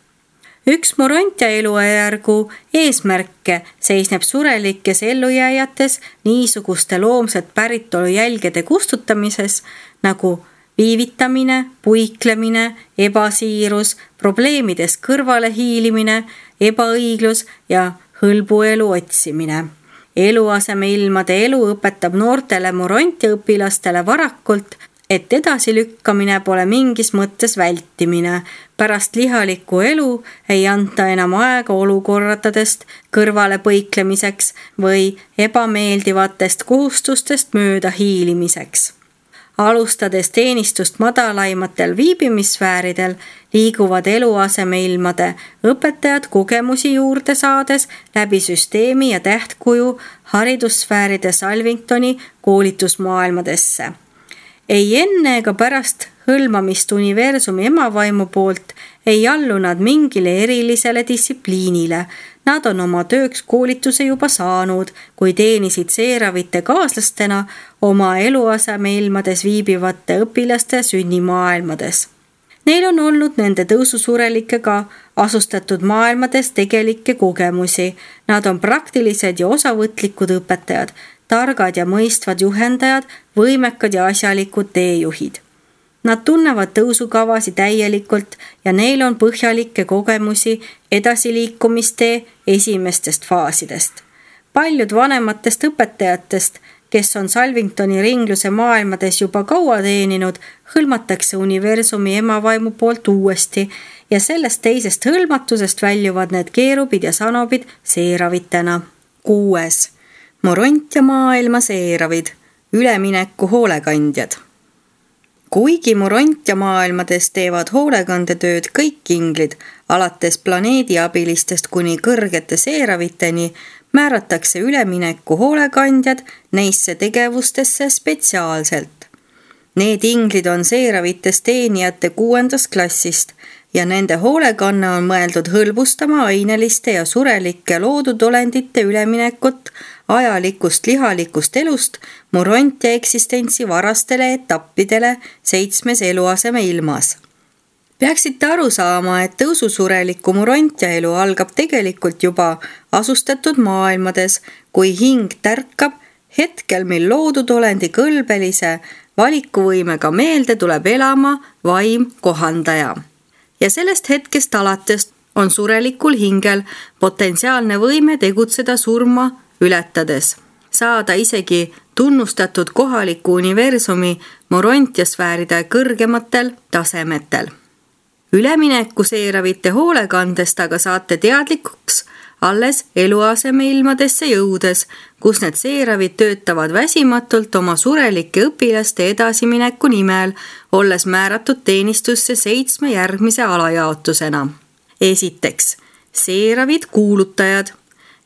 Üks murontja elujärgu eesmärke seisneb surelikes ellujääjates niisuguste loomset päritolu jälgede kustutamises nagu viivitamine, puiklemine, ebasiirus, probleemidest kõrvale hiilimine, ebaõiglus ja hõlbuelu otsimine. Eluasemeilmade elu õpetab noortele murontja õpilastele varakult, et edasilükkamine pole mingis mõttes vältimine. Pärast lihalikku elu ei anta enam aega olukorratadest kõrvale põiklemiseks või ebameeldivatest kohustustest mööda hiilimiseks. Alustades teenistust madalaimatel viibimisfääridel, liiguvad eluasemeilmade õpetajad kogemusi juurde saades läbi süsteemi ja tähtkuju haridussfääride Salvingtoni koolitusmaailmadesse. Ei enne ega pärast hõlmamist universumi emavaimu poolt ei allu nad mingile erilisele distsipliinile. Nad on oma tööks koolituse juba saanud, kui teenisid seeravite kaaslastena oma eluasemeilmades viibivate õpilaste sünnimaailmades. Neil on olnud nende tõususurelikega asustatud maailmades tegelikke kogemusi. Nad on praktilised ja osavõtlikud õpetajad, targad ja mõistvad juhendajad, võimekad ja asjalikud teejuhid. Nad tunnevad tõusukavasi täielikult ja neil on põhjalikke kogemusi edasiliikumistee esimestest faasidest. Paljud vanematest õpetajatest, kes on Salvingtoni ringluse maailmades juba kaua teeninud, hõlmatakse universumi emavaimu poolt uuesti ja sellest teisest hõlmatusest väljuvad need keerubid ja sanobid seeravitena. Kuues. Moront ja maailma seeravid, ülemineku hoolekandjad. Kuigi moront ja maailmades teevad hoolekandetööd kõik inglid, alates planeediabilistest kuni kõrgete seeraviteni, määratakse ülemineku hoolekandjad neisse tegevustesse spetsiaalselt. Need inglid on seeravitest teenijate kuuendast klassist ja nende hoolekanne on mõeldud hõlbustama aineliste ja surelike loodudolendite üleminekut ajalikust lihalikust elust moront ja eksistentsi varastele etappidele seitsmes eluaseme ilmas. Peaksite aru saama, et tõususureliku moront ja elu algab tegelikult juba asustatud maailmades, kui hing tärkab hetkel, mil loodudolendi kõlbelise valikuvõimega meelde tuleb elama vaim kohandaja. Ja sellest hetkest alates on surelikul hingel potentsiaalne võime tegutseda surma ületades, saada isegi tunnustatud kohaliku universumi morontiasfääride kõrgematel tasemetel. Ülemineku seeravite hoolekandest aga saate teadlikuks alles eluasemeilmadesse jõudes, kus need seeravid töötavad väsimatult oma surelike õpilaste edasimineku nimel, olles määratud teenistusse seitsme järgmise alajaotusena. Esiteks, seeravid kuulutajad.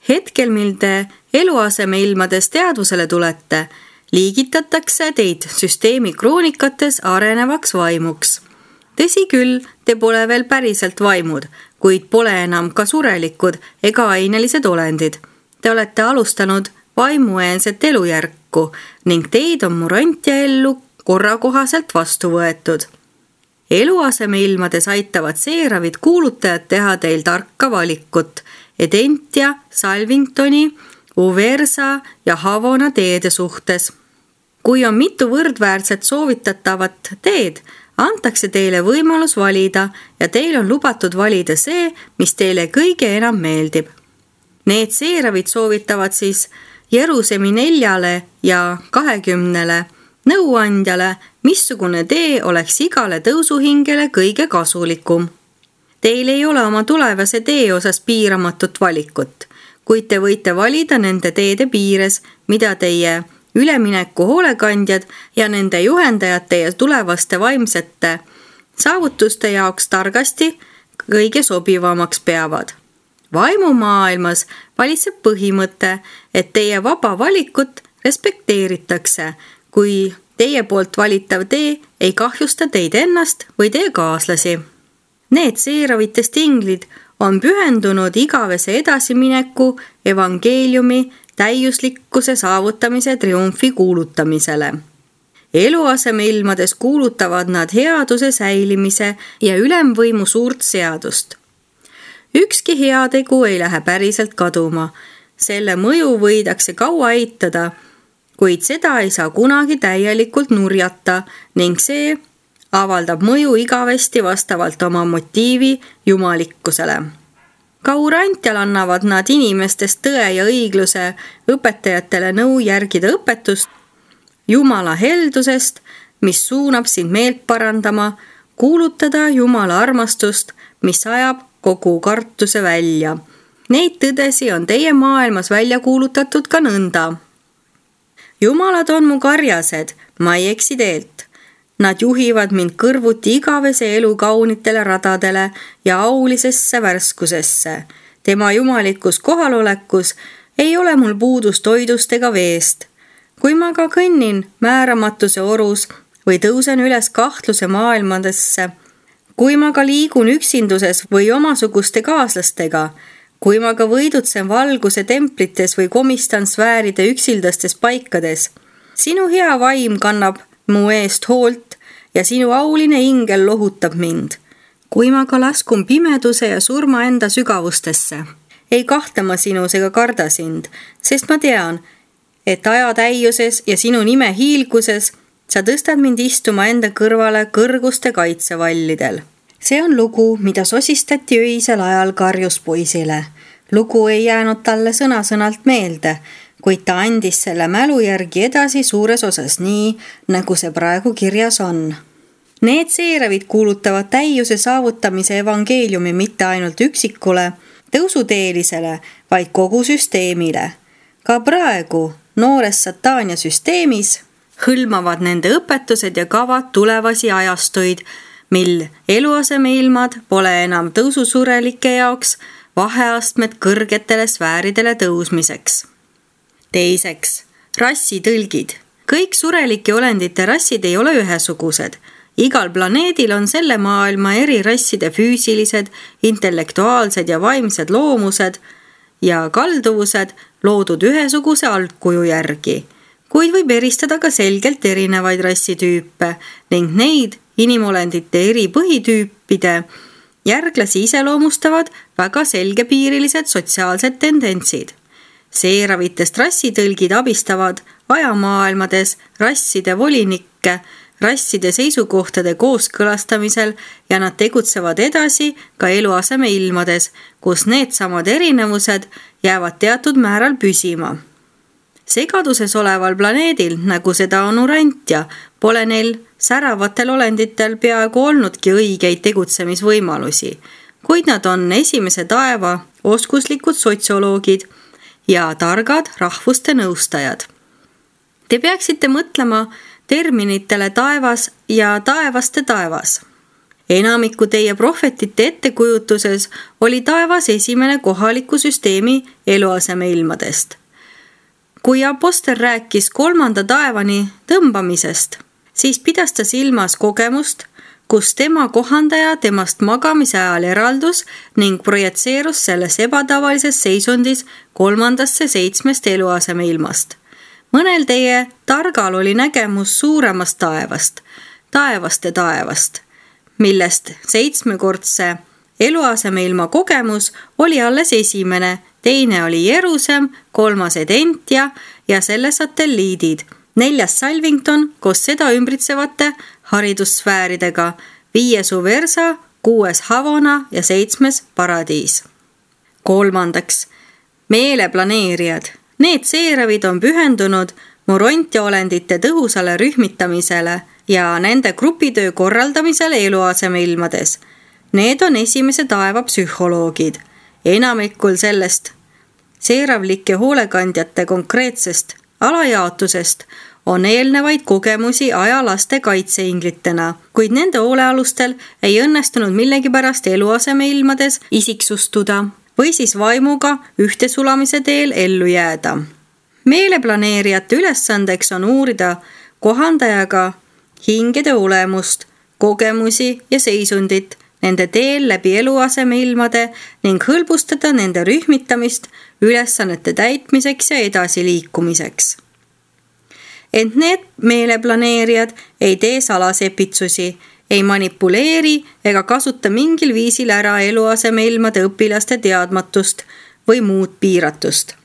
Hetkel, mil te eluasemeilmades teadvusele tulete, liigitatakse teid süsteemi kroonikates arenevaks vaimuks. Tõsi küll, te pole veel päriselt vaimud, kuid pole enam ka surelikud ega ainelised olendid. Te olete alustanud vaimueenset elujärku ning teid on moront ja ellu korrakohaselt vastu võetud. Eluasemeilmades aitavad seeravid kuulutajad teha teil tarka valikut Edentia, Salvingtoni, Uversa ja Havona teede suhtes. Kui on mitu võrdväärset soovitatavat teed, antakse teile võimalus valida ja teil on lubatud valida see, mis teile kõige enam meeldib. Need seeravid soovitavad siis Jerusemi neljale ja kahekümnele nõuandjale, missugune tee oleks igale tõusuhingele kõige kasulikum. Teil ei ole oma tulevase tee osas piiramatut valikut, kuid te võite valida nende teede piires, mida teie ülemineku hoolekandjad ja nende juhendajate ja tulevaste vaimsete saavutuste jaoks targasti kõige sobivamaks peavad. Vaimumaailmas valitseb põhimõte, et teie vaba valikut respekteeritakse, kui teie poolt valitav tee ei kahjusta teid ennast või teie kaaslasi. Need seeravitest inglid on pühendunud igavese edasimineku evangeeliumi täiuslikkuse saavutamise triumfi kuulutamisele. Eluasemeilmades kuulutavad nad headuse säilimise ja ülemvõimu suurt seadust. Ükski heategu ei lähe päriselt kaduma. Selle mõju võidakse kaua eitada, kuid seda ei saa kunagi täielikult nurjata ning see avaldab mõju igavesti vastavalt oma motiivi jumalikkusele. Kaurantial annavad nad inimestest tõe ja õigluse õpetajatele nõu järgida õpetust Jumala heldusest, mis suunab sind meelt parandama, kuulutada Jumala armastust, mis ajab kogu kartuse välja. Neid tõdesi on teie maailmas välja kuulutatud ka nõnda. Jumalad on mu karjased, ma ei eksi teelt. Nad juhivad mind kõrvuti igavese elu kaunitele radadele ja aulisesse värskusesse. Tema jumalikus kohalolekus ei ole mul puudus toidust ega veest. Kui ma ka kõnnin määramatuse orus või tõusen üles kahtluse maailmadesse, kui ma ka liigun üksinduses või omasuguste kaaslastega, kui ma ka võidutsen valguse templites või komistan sfääride üksildastes paikades, sinu hea vaim kannab mu eest hoolt ja sinu auline ingel lohutab mind. Kui ma ka laskun pimeduse ja surma enda sügavustesse, ei kahta ma sinus ega karda sind, sest ma tean, et aja täiuses ja sinu nime hiilguses sa tõstad mind istuma enda kõrvale kõrguste kaitsevallidel. See on lugu, mida sosistati öisel ajal karjuspoisile. Lugu ei jäänud talle sõna-sõnalt meelde, kuid ta andis selle mälu järgi edasi suures osas nii, nagu see praegu kirjas on. Need seeravid kuulutavad täiuse saavutamise evangeeliumi mitte ainult üksikule, tõusuteelisele, vaid kogu süsteemile. Ka praegu noores Sataania süsteemis hõlmavad nende õpetused ja kavad tulevasi ajastuid, mil eluasemeilmad pole enam tõususurelike jaoks vaheastmed kõrgetele sfääridele tõusmiseks. Teiseks, rassitõlgid. Kõik surelike olendite rassid ei ole ühesugused. Igal planeedil on selle maailma eri rasside füüsilised, intellektuaalsed ja vaimsed loomused ja kalduvused loodud ühesuguse algkuju järgi, kuid võib eristada ka selgelt erinevaid rassitüüpe ning neid inimolendite eri põhitüüpide järglasi iseloomustavad väga selgepiirilised sotsiaalsed tendentsid. Seeravitest rassitõlgid abistavad ajamaailmades rasside volinikke rasside seisukohtade kooskõlastamisel ja nad tegutsevad edasi ka eluaseme ilmades, kus need samad erinevused jäävad teatud määral püsima. Segaduses oleval planeedil, nagu seda on Urantia, pole neil säravatel olenditel peaaegu olnudki õigeid tegutsemisvõimalusi, kuid nad on esimese taeva oskuslikud sotsioloogid ja targad rahvuste nõustajad. Te peaksite mõtlema terminitele taevas ja taevaste taevas. Enamiku teie prohvetite ettekujutuses oli taevas esimene kohaliku süsteemi eluaseme ilmadest. Kui apostel rääkis kolmanda taevani tõmbamisest, siis pidas ta silmas kogemust, kus tema kohandaja temast magamise ajal eraldus ning projetseerus selles ebatavalises seisundis kolmandasse seitsmest eluaseme ilmast. Mõnel teie targal oli nägemus suuremast taevast, taevaste taevast, millest seitsmekordse eluaseme ilma kogemus oli alles esimene, teine oli Jerusem, kolmas Edentia ja selle satelliidid, neljas Salvington koos seda ümbritsevate haridussfääridega, viies Uversa, kuues Havona ja seitsmes Paradiis. Kolmandaks, meeleplaneerijad. Need seeravid on pühendunud Morontia olendite tõhusale rühmitamisele ja nende grupitöö korraldamisele eluaseme ilmades. Need on esimese taeva psühholoogid. Enamikul sellest seeravlike hoolekandjate konkreetsest alajaotusest on eelnevaid kogemusi ajalaste kaitseinglitena, kuid nende hoolealustel ei õnnestunud millegipärast eluaseme ilmades isiksustuda või siis vaimuga ühtesulamise teel ellu jääda. Meeleplaneerijate ülesandeks on uurida kohandajaga hingede olemust, kogemusi ja seisundit nende teel läbi eluaseme ilmade ning hõlbustada nende rühmitamist ülesannete täitmiseks ja edasiliikumiseks. Ent need meeleplaneerijad ei tee salasepitsusi, ei manipuleeri ega kasuta mingil viisil ära eluaseme ilmade õpilaste teadmatust või muud piiratust.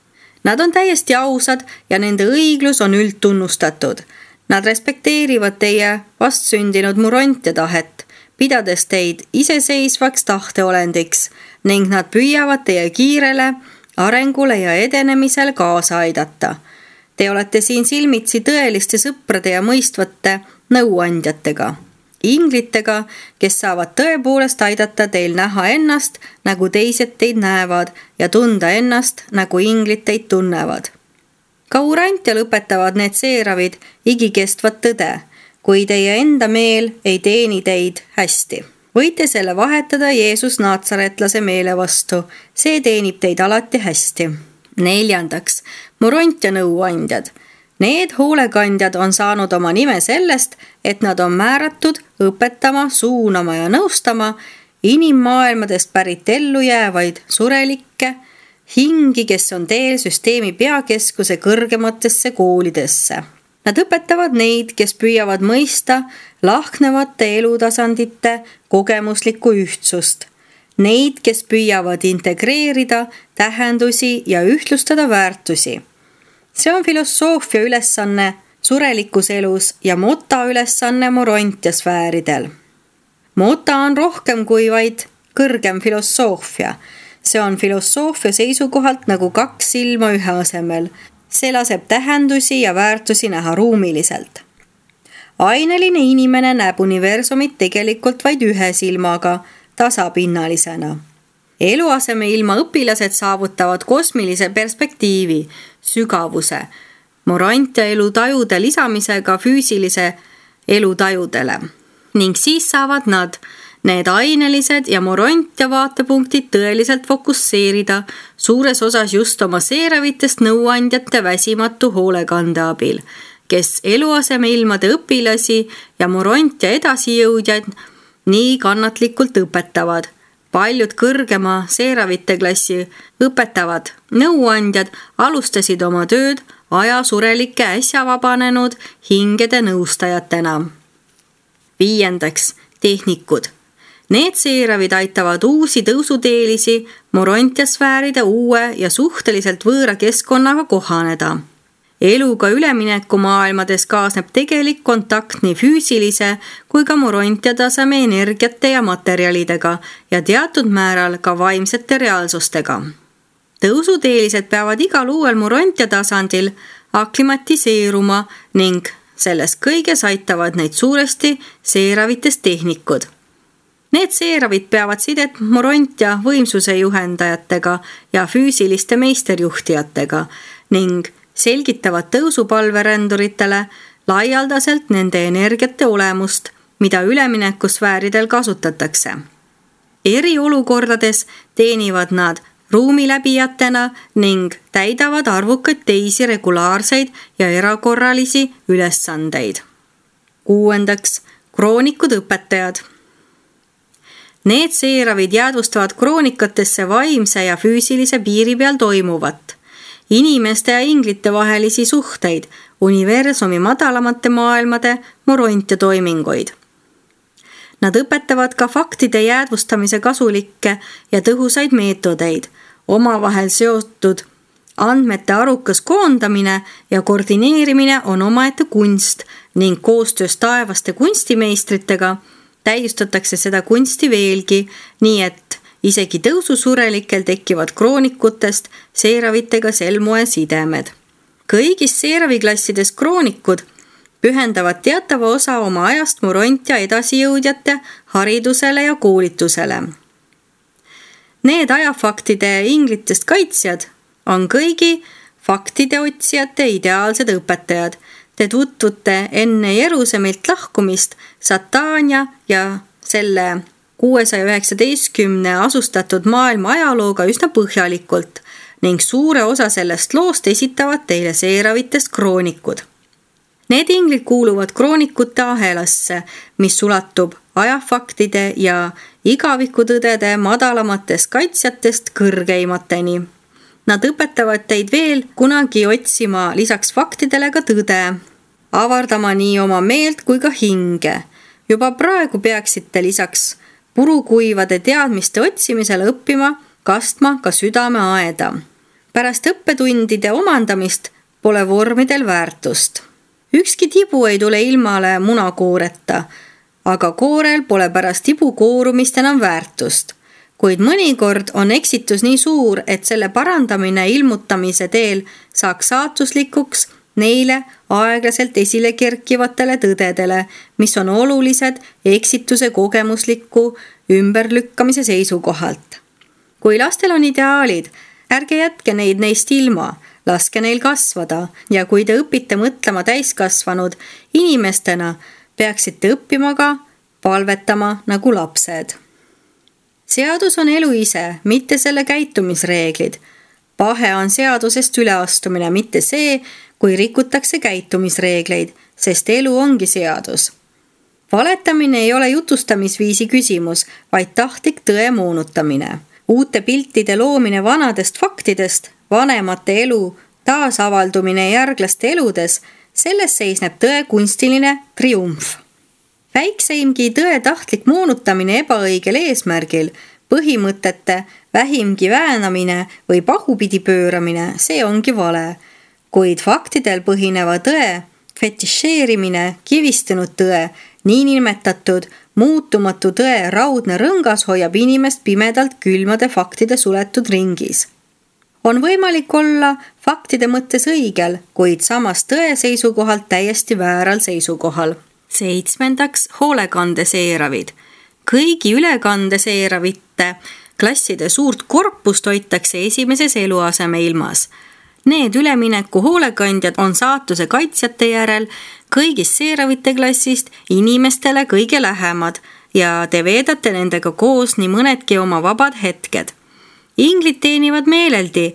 Nad on täiesti ausad ja nende õiglus on üldtunnustatud. Nad respekteerivad teie vastsündinud Morontia tahet, pidades teid iseseisvaks tahteolendiks ning nad püüavad teie kiirele arengule ja edenemisel kaasa aidata. Te olete siin silmitsi tõeliste sõprade ja mõistvate nõuandjatega. Inglitega, kes saavad tõepoolest aidata teil näha ennast, nagu teised teid näevad ja tunda ennast, nagu inglid teid tunnevad. Ka Urantial õpetavad need seeravid igikestvat tõde, kui teie enda meel ei teeni teid hästi. Võite selle vahetada Jeesus naatsaretlase meele vastu, see teenib teid alati hästi. Neljandaks, Morontia nõuandjad. Need hoolekandjad on saanud oma nime sellest, et nad on määratud õpetama, suunama ja nõustama inimmaailmadest pärit ellu jäävaid surelikke, hingi, kes on teel süsteemi peakeskuse kõrgematesse koolidesse. Nad õpetavad neid, kes püüavad mõista lahknevate elutasandite kogemuslikku ühtsust. Neid, kes püüavad integreerida tähendusi ja ühtlustada väärtusi. See on filosoofia ülesanne surelikus elus ja Mota ülesanne Morontia sfääridel. Mota on rohkem kui vaid kõrgem filosoofia. See on filosoofia seisukohalt nagu kaks silma ühe asemel. See laseb tähendusi ja väärtusi näha ruumiliselt. Aineline inimene näeb universumit tegelikult vaid ühe silmaga, tasapinnalisena. Eluaseme ilma õpilased saavutavad kosmilise perspektiivi, sügavuse, Morontia elutajude lisamisega füüsilise elutajudele. Ning siis saavad nad, need ainelised ja Morontia vaatepunktid tõeliselt fokusseerida suures osas just oma seeravitest nõuandjate väsimatu hoolekande abil, kes eluaseme ilmade õpilasi ja Morontia edasijõudjaid nii kannatlikult õpetavad. Paljud kõrgema seeravite klassi õpetavad nõuandjad alustasid oma tööd ajasurelike äsja vabanenud hingede nõustajatena. Viiendaks, tehnikud. Need seeravid aitavad uusi tõusuteelisi Morontia sfääride uue ja suhteliselt võõra keskkonnaga kohaneda. Eluga ülemineku maailmades kaasneb tegelik kontakt nii füüsilise kui ka Morontia taseme energiate ja materjalidega ja teatud määral ka vaimsete reaalsustega. Tõusuteelised peavad igal uuel Morontia tasandil aklimatiseeruma ning selles kõiges aitavad neid suuresti seeravitest tehnikud. Need seeravid peavad sidet Morontia võimsuse juhendajatega ja füüsiliste meisterjuhtijatega ning selgitavad tõusupalveränduritele laialdaselt nende energiate olemust, mida üleminekusfääridel kasutatakse. Eriolukordades teenivad nad ruumiläbijatena ning täidavad arvukaid teisi regulaarseid ja erakorralisi ülesandeid. Kuuendaks, kroonikud õpetajad. Need seeravid jäädvustavad kroonikatesse vaimse ja füüsilise piiri peal toimuvat, inimeste ja inglite vahelisi suhteid, universumi madalamate maailmade Morontia toiminguid. Nad õpetavad ka faktide jäädvustamise kasulikke ja tõhusaid meetodeid, omavahel seotud andmete arukas koondamine ja koordineerimine on omaette kunst ning koostöös taevaste kunstimeistritega täiustatakse seda kunsti veelgi, nii et isegi tõususurelikel tekivad kroonikutest seeravitega sel moel sidemed. Kõigis seeraviklassides kroonikud pühendavad teatava osa oma ajast Morontia edasijõudjate haridusele ja koolitusele. Need ajafaktide inglitest kaitsjad on kõigi faktide otsijate ideaalsed õpetajad. Te tutvute enne Jerusemilt lahkumist Satania ja selle kuuesaja üheksateistkümne asustatud maailma ajalooga üsna põhjalikult ning suure osa sellest loost esitavad teile seeravitest kroonikud. Need inglid kuuluvad kroonikute ahelasse, mis ulatub ajafaktide ja igavikutõdede madalamatest kaitsjatest kõrgeimateni. Nad õpetavad teid veel kunagi otsima lisaks faktidele ka tõde, avardama nii oma meelt kui ka hinge. Juba praegu peaksite lisaks purukuivade teadmiste otsimisele õppima kastma ka südame aeda. Pärast õppetundide omandamist pole vormidel väärtust. Ükski tibu ei tule ilmale munakooreta, aga koorel pole pärast tibu koorumist enam väärtust. Kuid mõnikord on eksitus nii suur, et selle parandamine ilmutamise teel saaks saatuslikuks neile aeglaselt esile kerkivatele tõdedele, mis on olulised eksituse kogemusliku ümberlükkamise seisukohalt. Kui lastel on ideaalid, Ärge jätke neid neist ilma, laske neil kasvada ja kui te õpite mõtlema täiskasvanud inimestena, peaksite õppima ka palvetama nagu lapsed. Seadus on elu ise, mitte selle käitumisreeglid. Pahe on seadusest üleastumine, mitte see, kui rikutakse käitumisreegleid, sest elu ongi seadus. Valetamine ei ole jutustamisviisi küsimus, vaid tahtlik tõe moonutamine. Uute piltide loomine vanadest faktidest, vanemate elu taasavaldumine järglaste eludes, selles seisneb tõe kunstiline triumf. Väikseimgi tõe tahtlik moonutamine ebaõigel eesmärgil, põhimõtete vähimgi väänamine või pahupidi pööramine, see ongi vale. Kuid faktidel põhineva tõe, fetišeerimine, kivistunud tõe, niinimetatud muutumatu tõe raudne rõngas hoiab inimest pimedalt külmade faktide suletud ringis. On võimalik olla faktide mõttes õigel, kuid samas tõe seisukohalt täiesti vääral seisukohal. Seitsmendaks, hoolekandeseeravid. Kõigi ülekandeseeravite klasside suurt korpust hoitakse esimeses eluaseme ilmas. Need ülemineku hoolekandjad on saatuse kaitsjate järel kõigist seeravite klassist inimestele kõige lähemad ja te veedate nendega koos nii mõnedki oma vabad hetked. Inglid teenivad meeleldi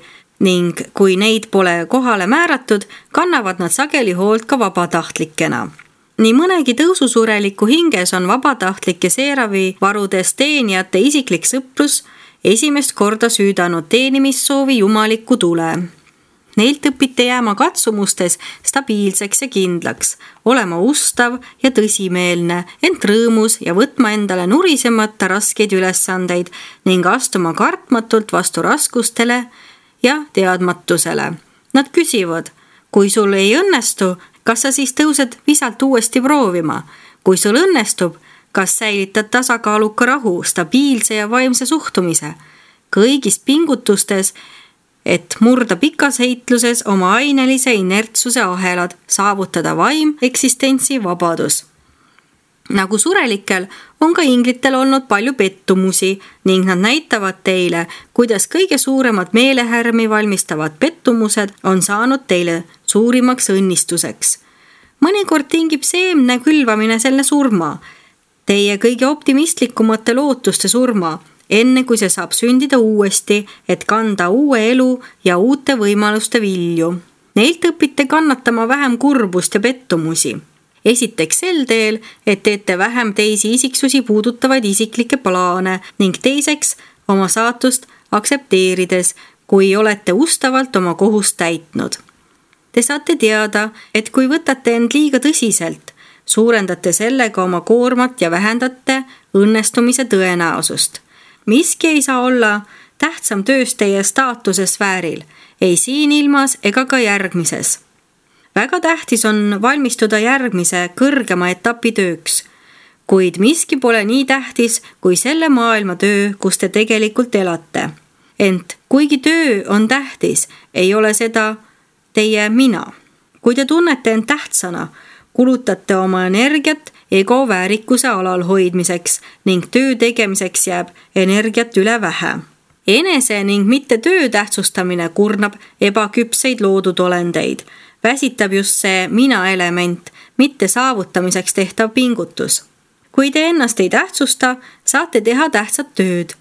ning kui neid pole kohale määratud, kannavad nad sageli hoolt ka vabatahtlikena. Nii mõnegi tõususureliku hinges on vabatahtlike seeravi varudes teenijate isiklik sõprus esimest korda süüdanud teenimissoovi jumalikku tule. Neilt õpite jääma katsumustes stabiilseks ja kindlaks, olema ustav ja tõsimeelne, ent rõõmus ja võtma endale nurisemata raskeid ülesandeid ning astuma kartmatult vastu raskustele ja teadmatusele. Nad küsivad, kui sul ei õnnestu, kas sa siis tõused visalt uuesti proovima? Kui sul õnnestub, kas säilitad tasakaaluka rahu, stabiilse ja vaimse suhtumise? Kõigis pingutustes, et murda pikas heitluses oma ainelise inertsuse ahelad, saavutada vaim, eksistentsi vabadus. Nagu surelikel on ka inglitel olnud palju pettumusi ning nad näitavad teile, kuidas kõige suuremad meelehärmi valmistavad pettumused on saanud teile suurimaks õnnistuseks. Mõnikord tingib seemne külvamine selle surma, teie kõige optimistlikumate lootuste surma, enne kui see saab sündida uuesti, et kanda uue elu ja uute võimaluste vilju. Neilt õpite kannatama vähem kurbust ja pettumusi. Esiteks sel teel, et teete vähem teisi isiksusi puudutavaid isiklikke plaane ning teiseks oma saatust aktsepteerides, kui olete ustavalt oma kohust täitnud. Te saate teada, et kui võtate end liiga tõsiselt, suurendate sellega oma koormat ja vähendate õnnestumise tõenäosust. Miski ei saa olla tähtsam töös teie staatuse sfääril, ei siin ilmas ega ka järgmises. Väga tähtis on valmistuda järgmise kõrgema etapi tööks, kuid miski pole nii tähtis kui selle maailma töö, kus te tegelikult elate. Ent kuigi töö on tähtis, ei ole seda teie mina. Kui te tunnete end tähtsana, kulutate oma energiat ego väärikuse alal hoidmiseks ning töö tegemiseks jääb energiat üle vähe. Enese ning mitte töö tähtsustamine kurnab ebaküpseid loodud olendeid. Väsitab just see mina element, mitte saavutamiseks tehtav pingutus. Kui te ennast ei tähtsusta, saate teha tähtsat tööd.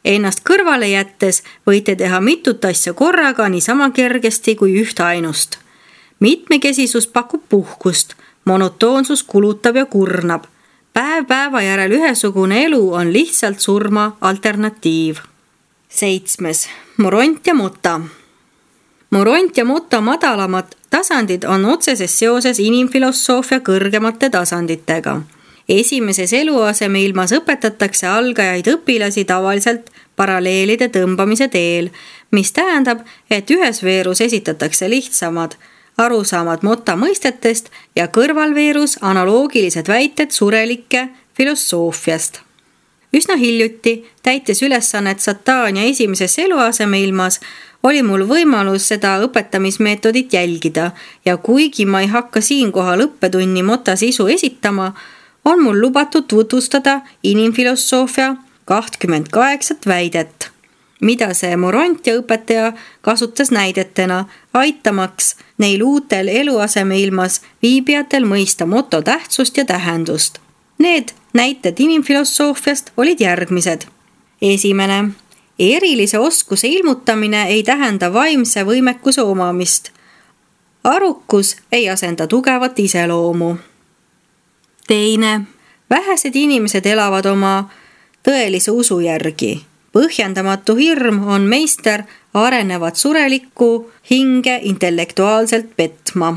Ennast kõrvale jättes võite teha mitut asja korraga niisama kergesti kui ühte ainust. Mitmekesisus pakub puhkust, monotoonsus kulutab ja kurnab. Päev päeva järel ühesugune elu on lihtsalt surma alternatiiv. Seitsmes. Moront ja Mota. Moront ja Mota madalamad tasandid on otseses seoses inimfilosoofia kõrgemate tasanditega. Esimeses eluaseme ilmas õpetatakse algajaid õpilasi tavaliselt paralleelide tõmbamise teel, mis tähendab, et ühes veerus esitatakse lihtsamad arusaamad Mota mõistetest ja kõrvalveerus analoogilised väited surelike filosoofiast. Üsna hiljuti, täites ülesannet Satania esimeses eluaseme ilmas, oli mul võimalus seda õpetamismeetodit jälgida ja kuigi ma ei hakka siinkohal õppetunni Mota sisu esitama, on mul lubatud tutvustada inimfilosoofia kakskümmend kaheksa väidet. mida see Morontia õpetaja kasutas näidetena, aitamaks neil uutel eluasemeilmas viibijatel mõista moto tähtsust ja tähendust. Need näited inimfilosoofiast olid järgmised. Esimene. Erilise oskuse ilmutamine ei tähenda vaimse võimekuse omamist. Arukus ei asenda tugevat iseloomu. Teine. Vähesed inimesed elavad oma tõelise usu järgi. Põhjendamatu hirm on meister arenevat surelikku hinge intellektuaalselt petma.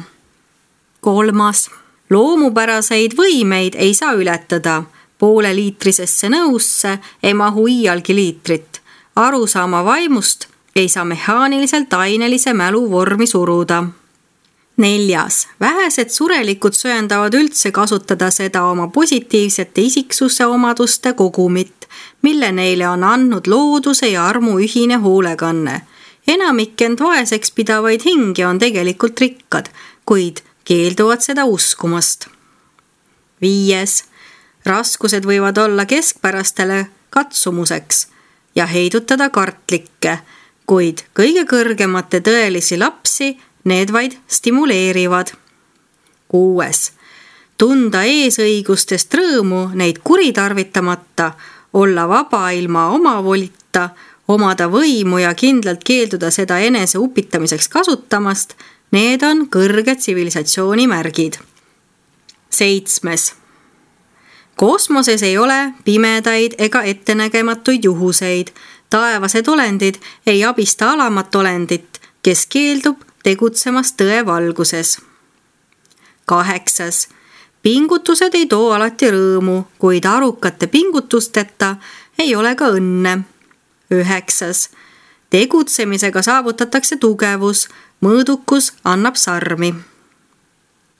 Kolmas. Loomupäraseid võimeid ei saa ületada. Poole liitrisesse nõusse ei mahu iialgi liitrit. Arusaama vaimust ei saa mehaaniliselt ainelise mälu vormi suruda. Neljas. Vähesed surelikud söandavad üldse kasutada seda oma positiivsete isiksuse omaduste kogumit, mille neile on andnud looduse ja armu ühine hoolekanne. Enamik end vaeseks pidavaid hingi on tegelikult rikkad, kuid keelduvad seda uskumast. Viies. Raskused võivad olla keskpärastele katsumuseks ja heidutada kartlikke, kuid kõige kõrgemate tõelisi lapsi need vaid stimuleerivad. Kuues. Tunda eesõigustest rõõmu neid kuritarvitamata, olla vaba ilma omavolita, omada võimu ja kindlalt keelduda seda enese upitamiseks kasutamast, need on kõrge tsivilisatsiooni märgid. Seitsmes. Kosmoses ei ole pimedaid ega ettenägematuid juhuseid. Taevased olendid ei abista alamat olendit, kes keeldub tegutsemast tõe valguses. Kaheksas. Pingutused ei too alati rõõmu, kuid arukate pingutusteta ei ole ka õnne. Üheksas. Tegutsemisega saavutatakse tugevus, mõõdukus annab sarmi.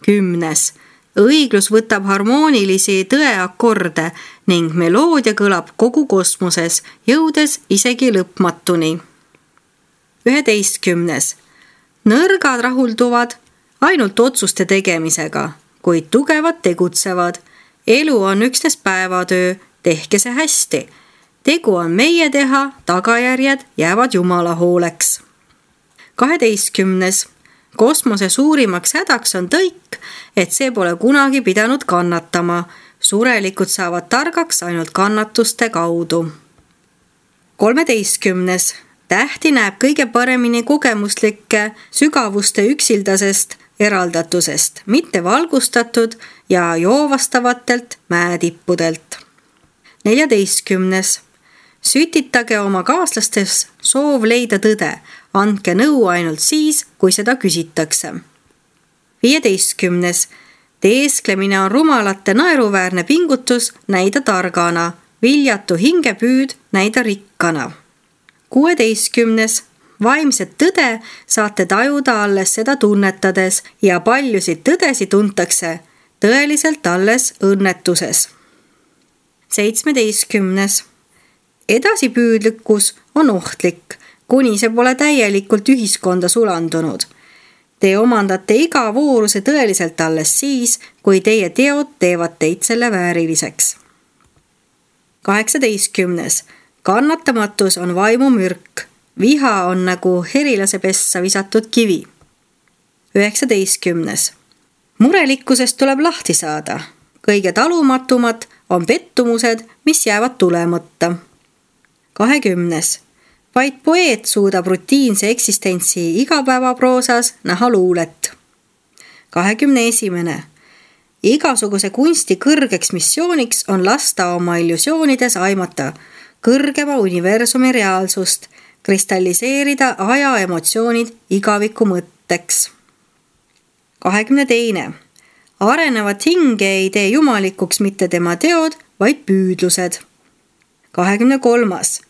Kümnes. Õiglus võtab harmoonilisi tõeakorde ning meloodia kõlab kogu kosmoses, jõudes isegi lõpmatuni. Üheteistkümnes. Nõrgad rahulduvad ainult otsuste tegemisega, kuid tugevad tegutsevad. Elu on üksnes päevatöö, tehke see hästi. Tegu on meie teha, tagajärjed jäävad Jumala hooleks. Kaheteistkümnes. Kosmose suurimaks hädaks on tõik, et see pole kunagi pidanud kannatama. Surelikud saavad targaks ainult kannatuste kaudu. Kolmeteistkümnes. Tähti näeb kõige paremini kogemuslike sügavuste üksildasest eraldatusest, mitte valgustatud ja joovastavatelt mäetippudelt. Neljateistkümnes. Sütitage oma kaaslastes soov leida tõde. Andke nõu ainult siis, kui seda küsitakse. Viieteistkümnes. Teesklemine on rumalate naeruväärne pingutus näida targana, viljatu hingepüüd näida rikkana. Kuueteistkümnes. Vaimset tõde saate tajuda alles seda tunnetades ja paljusid tõdesi tuntakse tõeliselt alles õnnetuses. Seitsmeteistkümnes. Edasipüüdlikkus on ohtlik, kuni see pole täielikult ühiskonda sulandunud. Te omandate iga vooruse tõeliselt alles siis, kui teie teod teevad teid selle vääriliseks. Kaheksateistkümnes. Kannatamatus on vaimu mürk. Viha on nagu herilase pessa visatud kivi. Üheksateistkümnes. Murelikkusest tuleb lahti saada. Kõige talumatumad on pettumused, mis jäävad tulemata. Kahekümnes. Vaid poeet suudab rutiinse eksistentsi igapäevaproosas näha luulet. Kahekümne esimene. Igasuguse kunsti kõrgeks missiooniks on lasta oma illusioonides aimata kõrgema universumi reaalsust, kristalliseerida aja emotsioonid igaviku mõtteks. Kahekümne teine. Arenevat hinge ei tee jumalikuks mitte tema teod, vaid püüdlused. Kahekümne kolmas.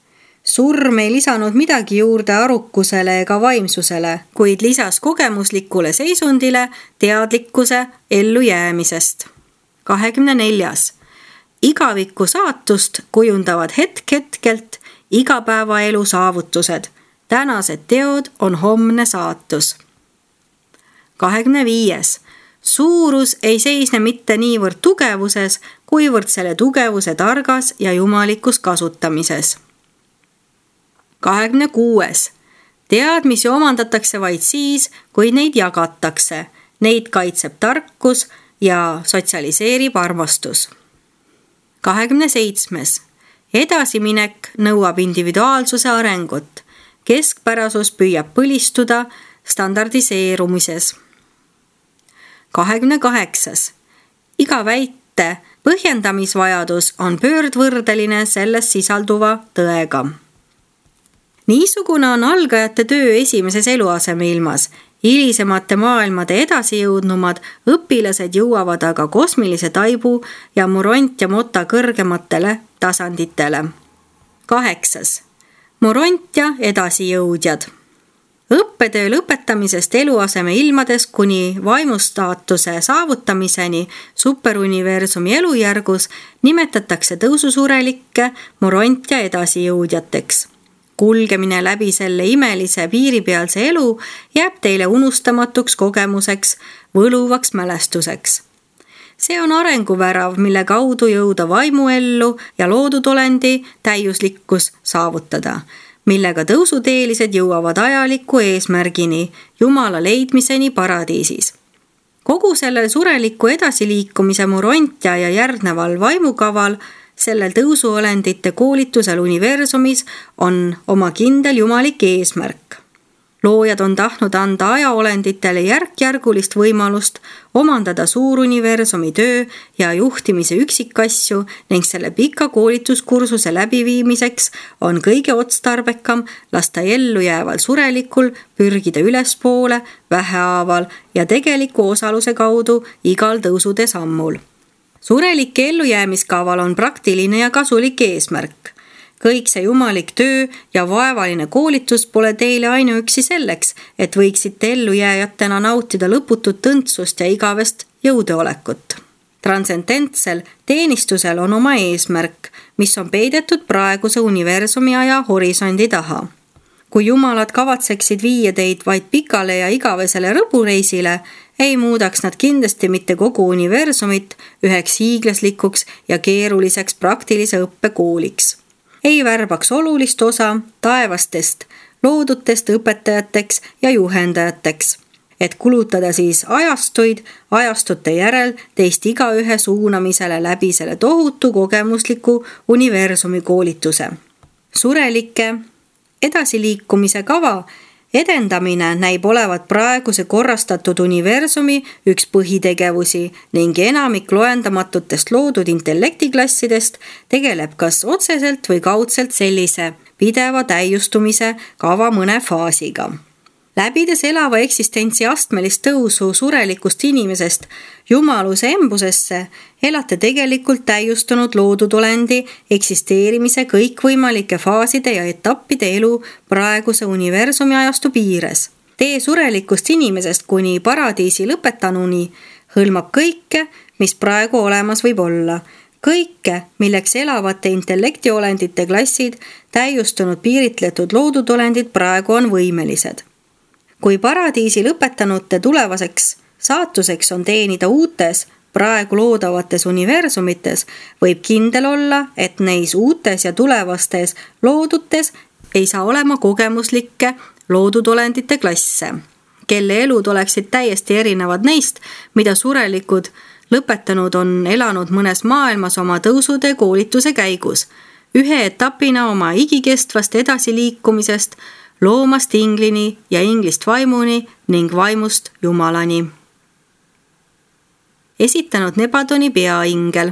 Surm ei lisanud midagi juurde arukusele ega vaimsusele, kuid lisas kogemuslikule seisundile teadlikkuse ellujäämisest. Kahekümne neljas. Igaviku saatust kujundavad hetk-hetkelt igapäevaelu saavutused. Tänased teod on homne saatus. Kahekümne viies. Suurus ei seisne mitte niivõrd tugevuses, kuivõrd selle tugevuse targas ja jumalikus kasutamises. kahekümne kuues. Teadmisi omandatakse vaid siis, kui neid jagatakse. Neid kaitseb tarkus ja sotsialiseerib armastus. kahekümne seitsmes. Edasiminek nõuab individuaalsuse arengut. Keskpärasus püüab põlistuda standardiseerumises. kahekümne kaheksas. Iga väite põhjendamisvajadus on pöördvõrdeline selles sisalduva tõega. Niisugune on algajate töö esimeses eluaseme ilmas. Hilisemate maailmade edasijõudnumad õpilased jõuavad aga kosmilise taibu ja Moront ja Mota kõrgematele tasanditele. Kaheksas. Moront ja edasijõudjad. Õppetöö lõpetamisest eluaseme ilmades kuni vaimustaatuse saavutamiseni superuniversumi elujärgus nimetatakse tõususurelikke Moront ja edasijõudjateks. Kulgemine läbi selle imelise piiripealse elu jääb teile unustamatuks kogemuseks, võluvaks mälestuseks. See on arenguvärav, mille kaudu jõuda vaimuellu ja loodud olendi täiuslikkus saavutada, millega tõusuteelised jõuavad ajaliku eesmärgini, Jumala leidmiseni paradiisis. Kogu sellel sureliku edasiliikumise Morontia ja järgneval vaimukaval sellel tõusuolendite koolitusel universumis on oma kindel jumalik eesmärk. Loojad on tahtnud anda ajaolenditele järk-järgulist võimalust omandada suuruniversumi töö ja juhtimise üksikasju ning selle pika koolituskursuse läbiviimiseks on kõige otstarbekam lasta ellu jääval surelikul pürgida ülespoole vähehaaval ja tegeliku osaluse kaudu igal tõusude sammul. Surelike ellujäämiskaval on praktiline ja kasulik eesmärk. Kõik see jumalik töö ja vaevaline koolitus pole teile ainuüksi selleks, et võiksite ellujääjatena nautida lõputut tõntsust ja igavest jõudeolekut. Transcendentsel teenistusel on oma eesmärk, mis on peidetud praeguse universumi aja horisondi taha. Kui jumalad kavatseksid viia teid vaid pikale ja igavesele rõbureisile, ei muudaks nad kindlasti mitte kogu universumit üheks hiiglaslikuks ja keeruliseks praktilise õppekooliks. Ei värbaks olulist osa taevastest, loodutest õpetajateks ja juhendajateks, et kulutada siis ajastuid ajastute järel teist igaühe suunamisele läbi selle tohutu kogemusliku universumi koolituse. Surelike edasiliikumise kava edendamine näib olevat praeguse korrastatud universumi üks põhitegevusi ning enamik loendamatutest loodud intellektiklassidest tegeleb kas otseselt või kaudselt sellise pideva täiustumise kava mõne faasiga. Läbides elava eksistentsi astmelist tõusu surelikust inimesest jumaluse embusesse, elate tegelikult täiustunud loodud olendi eksisteerimise kõikvõimalike faaside ja etappide elu praeguse universumi ajastu piires. Tee surelikust inimesest kuni paradiisi lõpetanuni hõlmab kõike, mis praegu olemas võib olla. Kõike, milleks elavate intellektiolendite klassid, täiustunud piiritletud loodud olendid praegu on võimelised. Kui paradiisi lõpetanute tulevaseks saatuseks on teenida uutes, praegu loodavates universumites, võib kindel olla, et neis uutes ja tulevastes loodutes ei saa olema kogemuslikke loodud olendite klasse, kelle elud oleksid täiesti erinevad neist, mida surelikud lõpetanud on elanud mõnes maailmas oma tõusude koolituse käigus, ühe etapina oma igikestvast edasiliikumisest loomast inglini ja inglist vaimuni ning vaimust jumalani. Esitanud Nebadoni peaingel.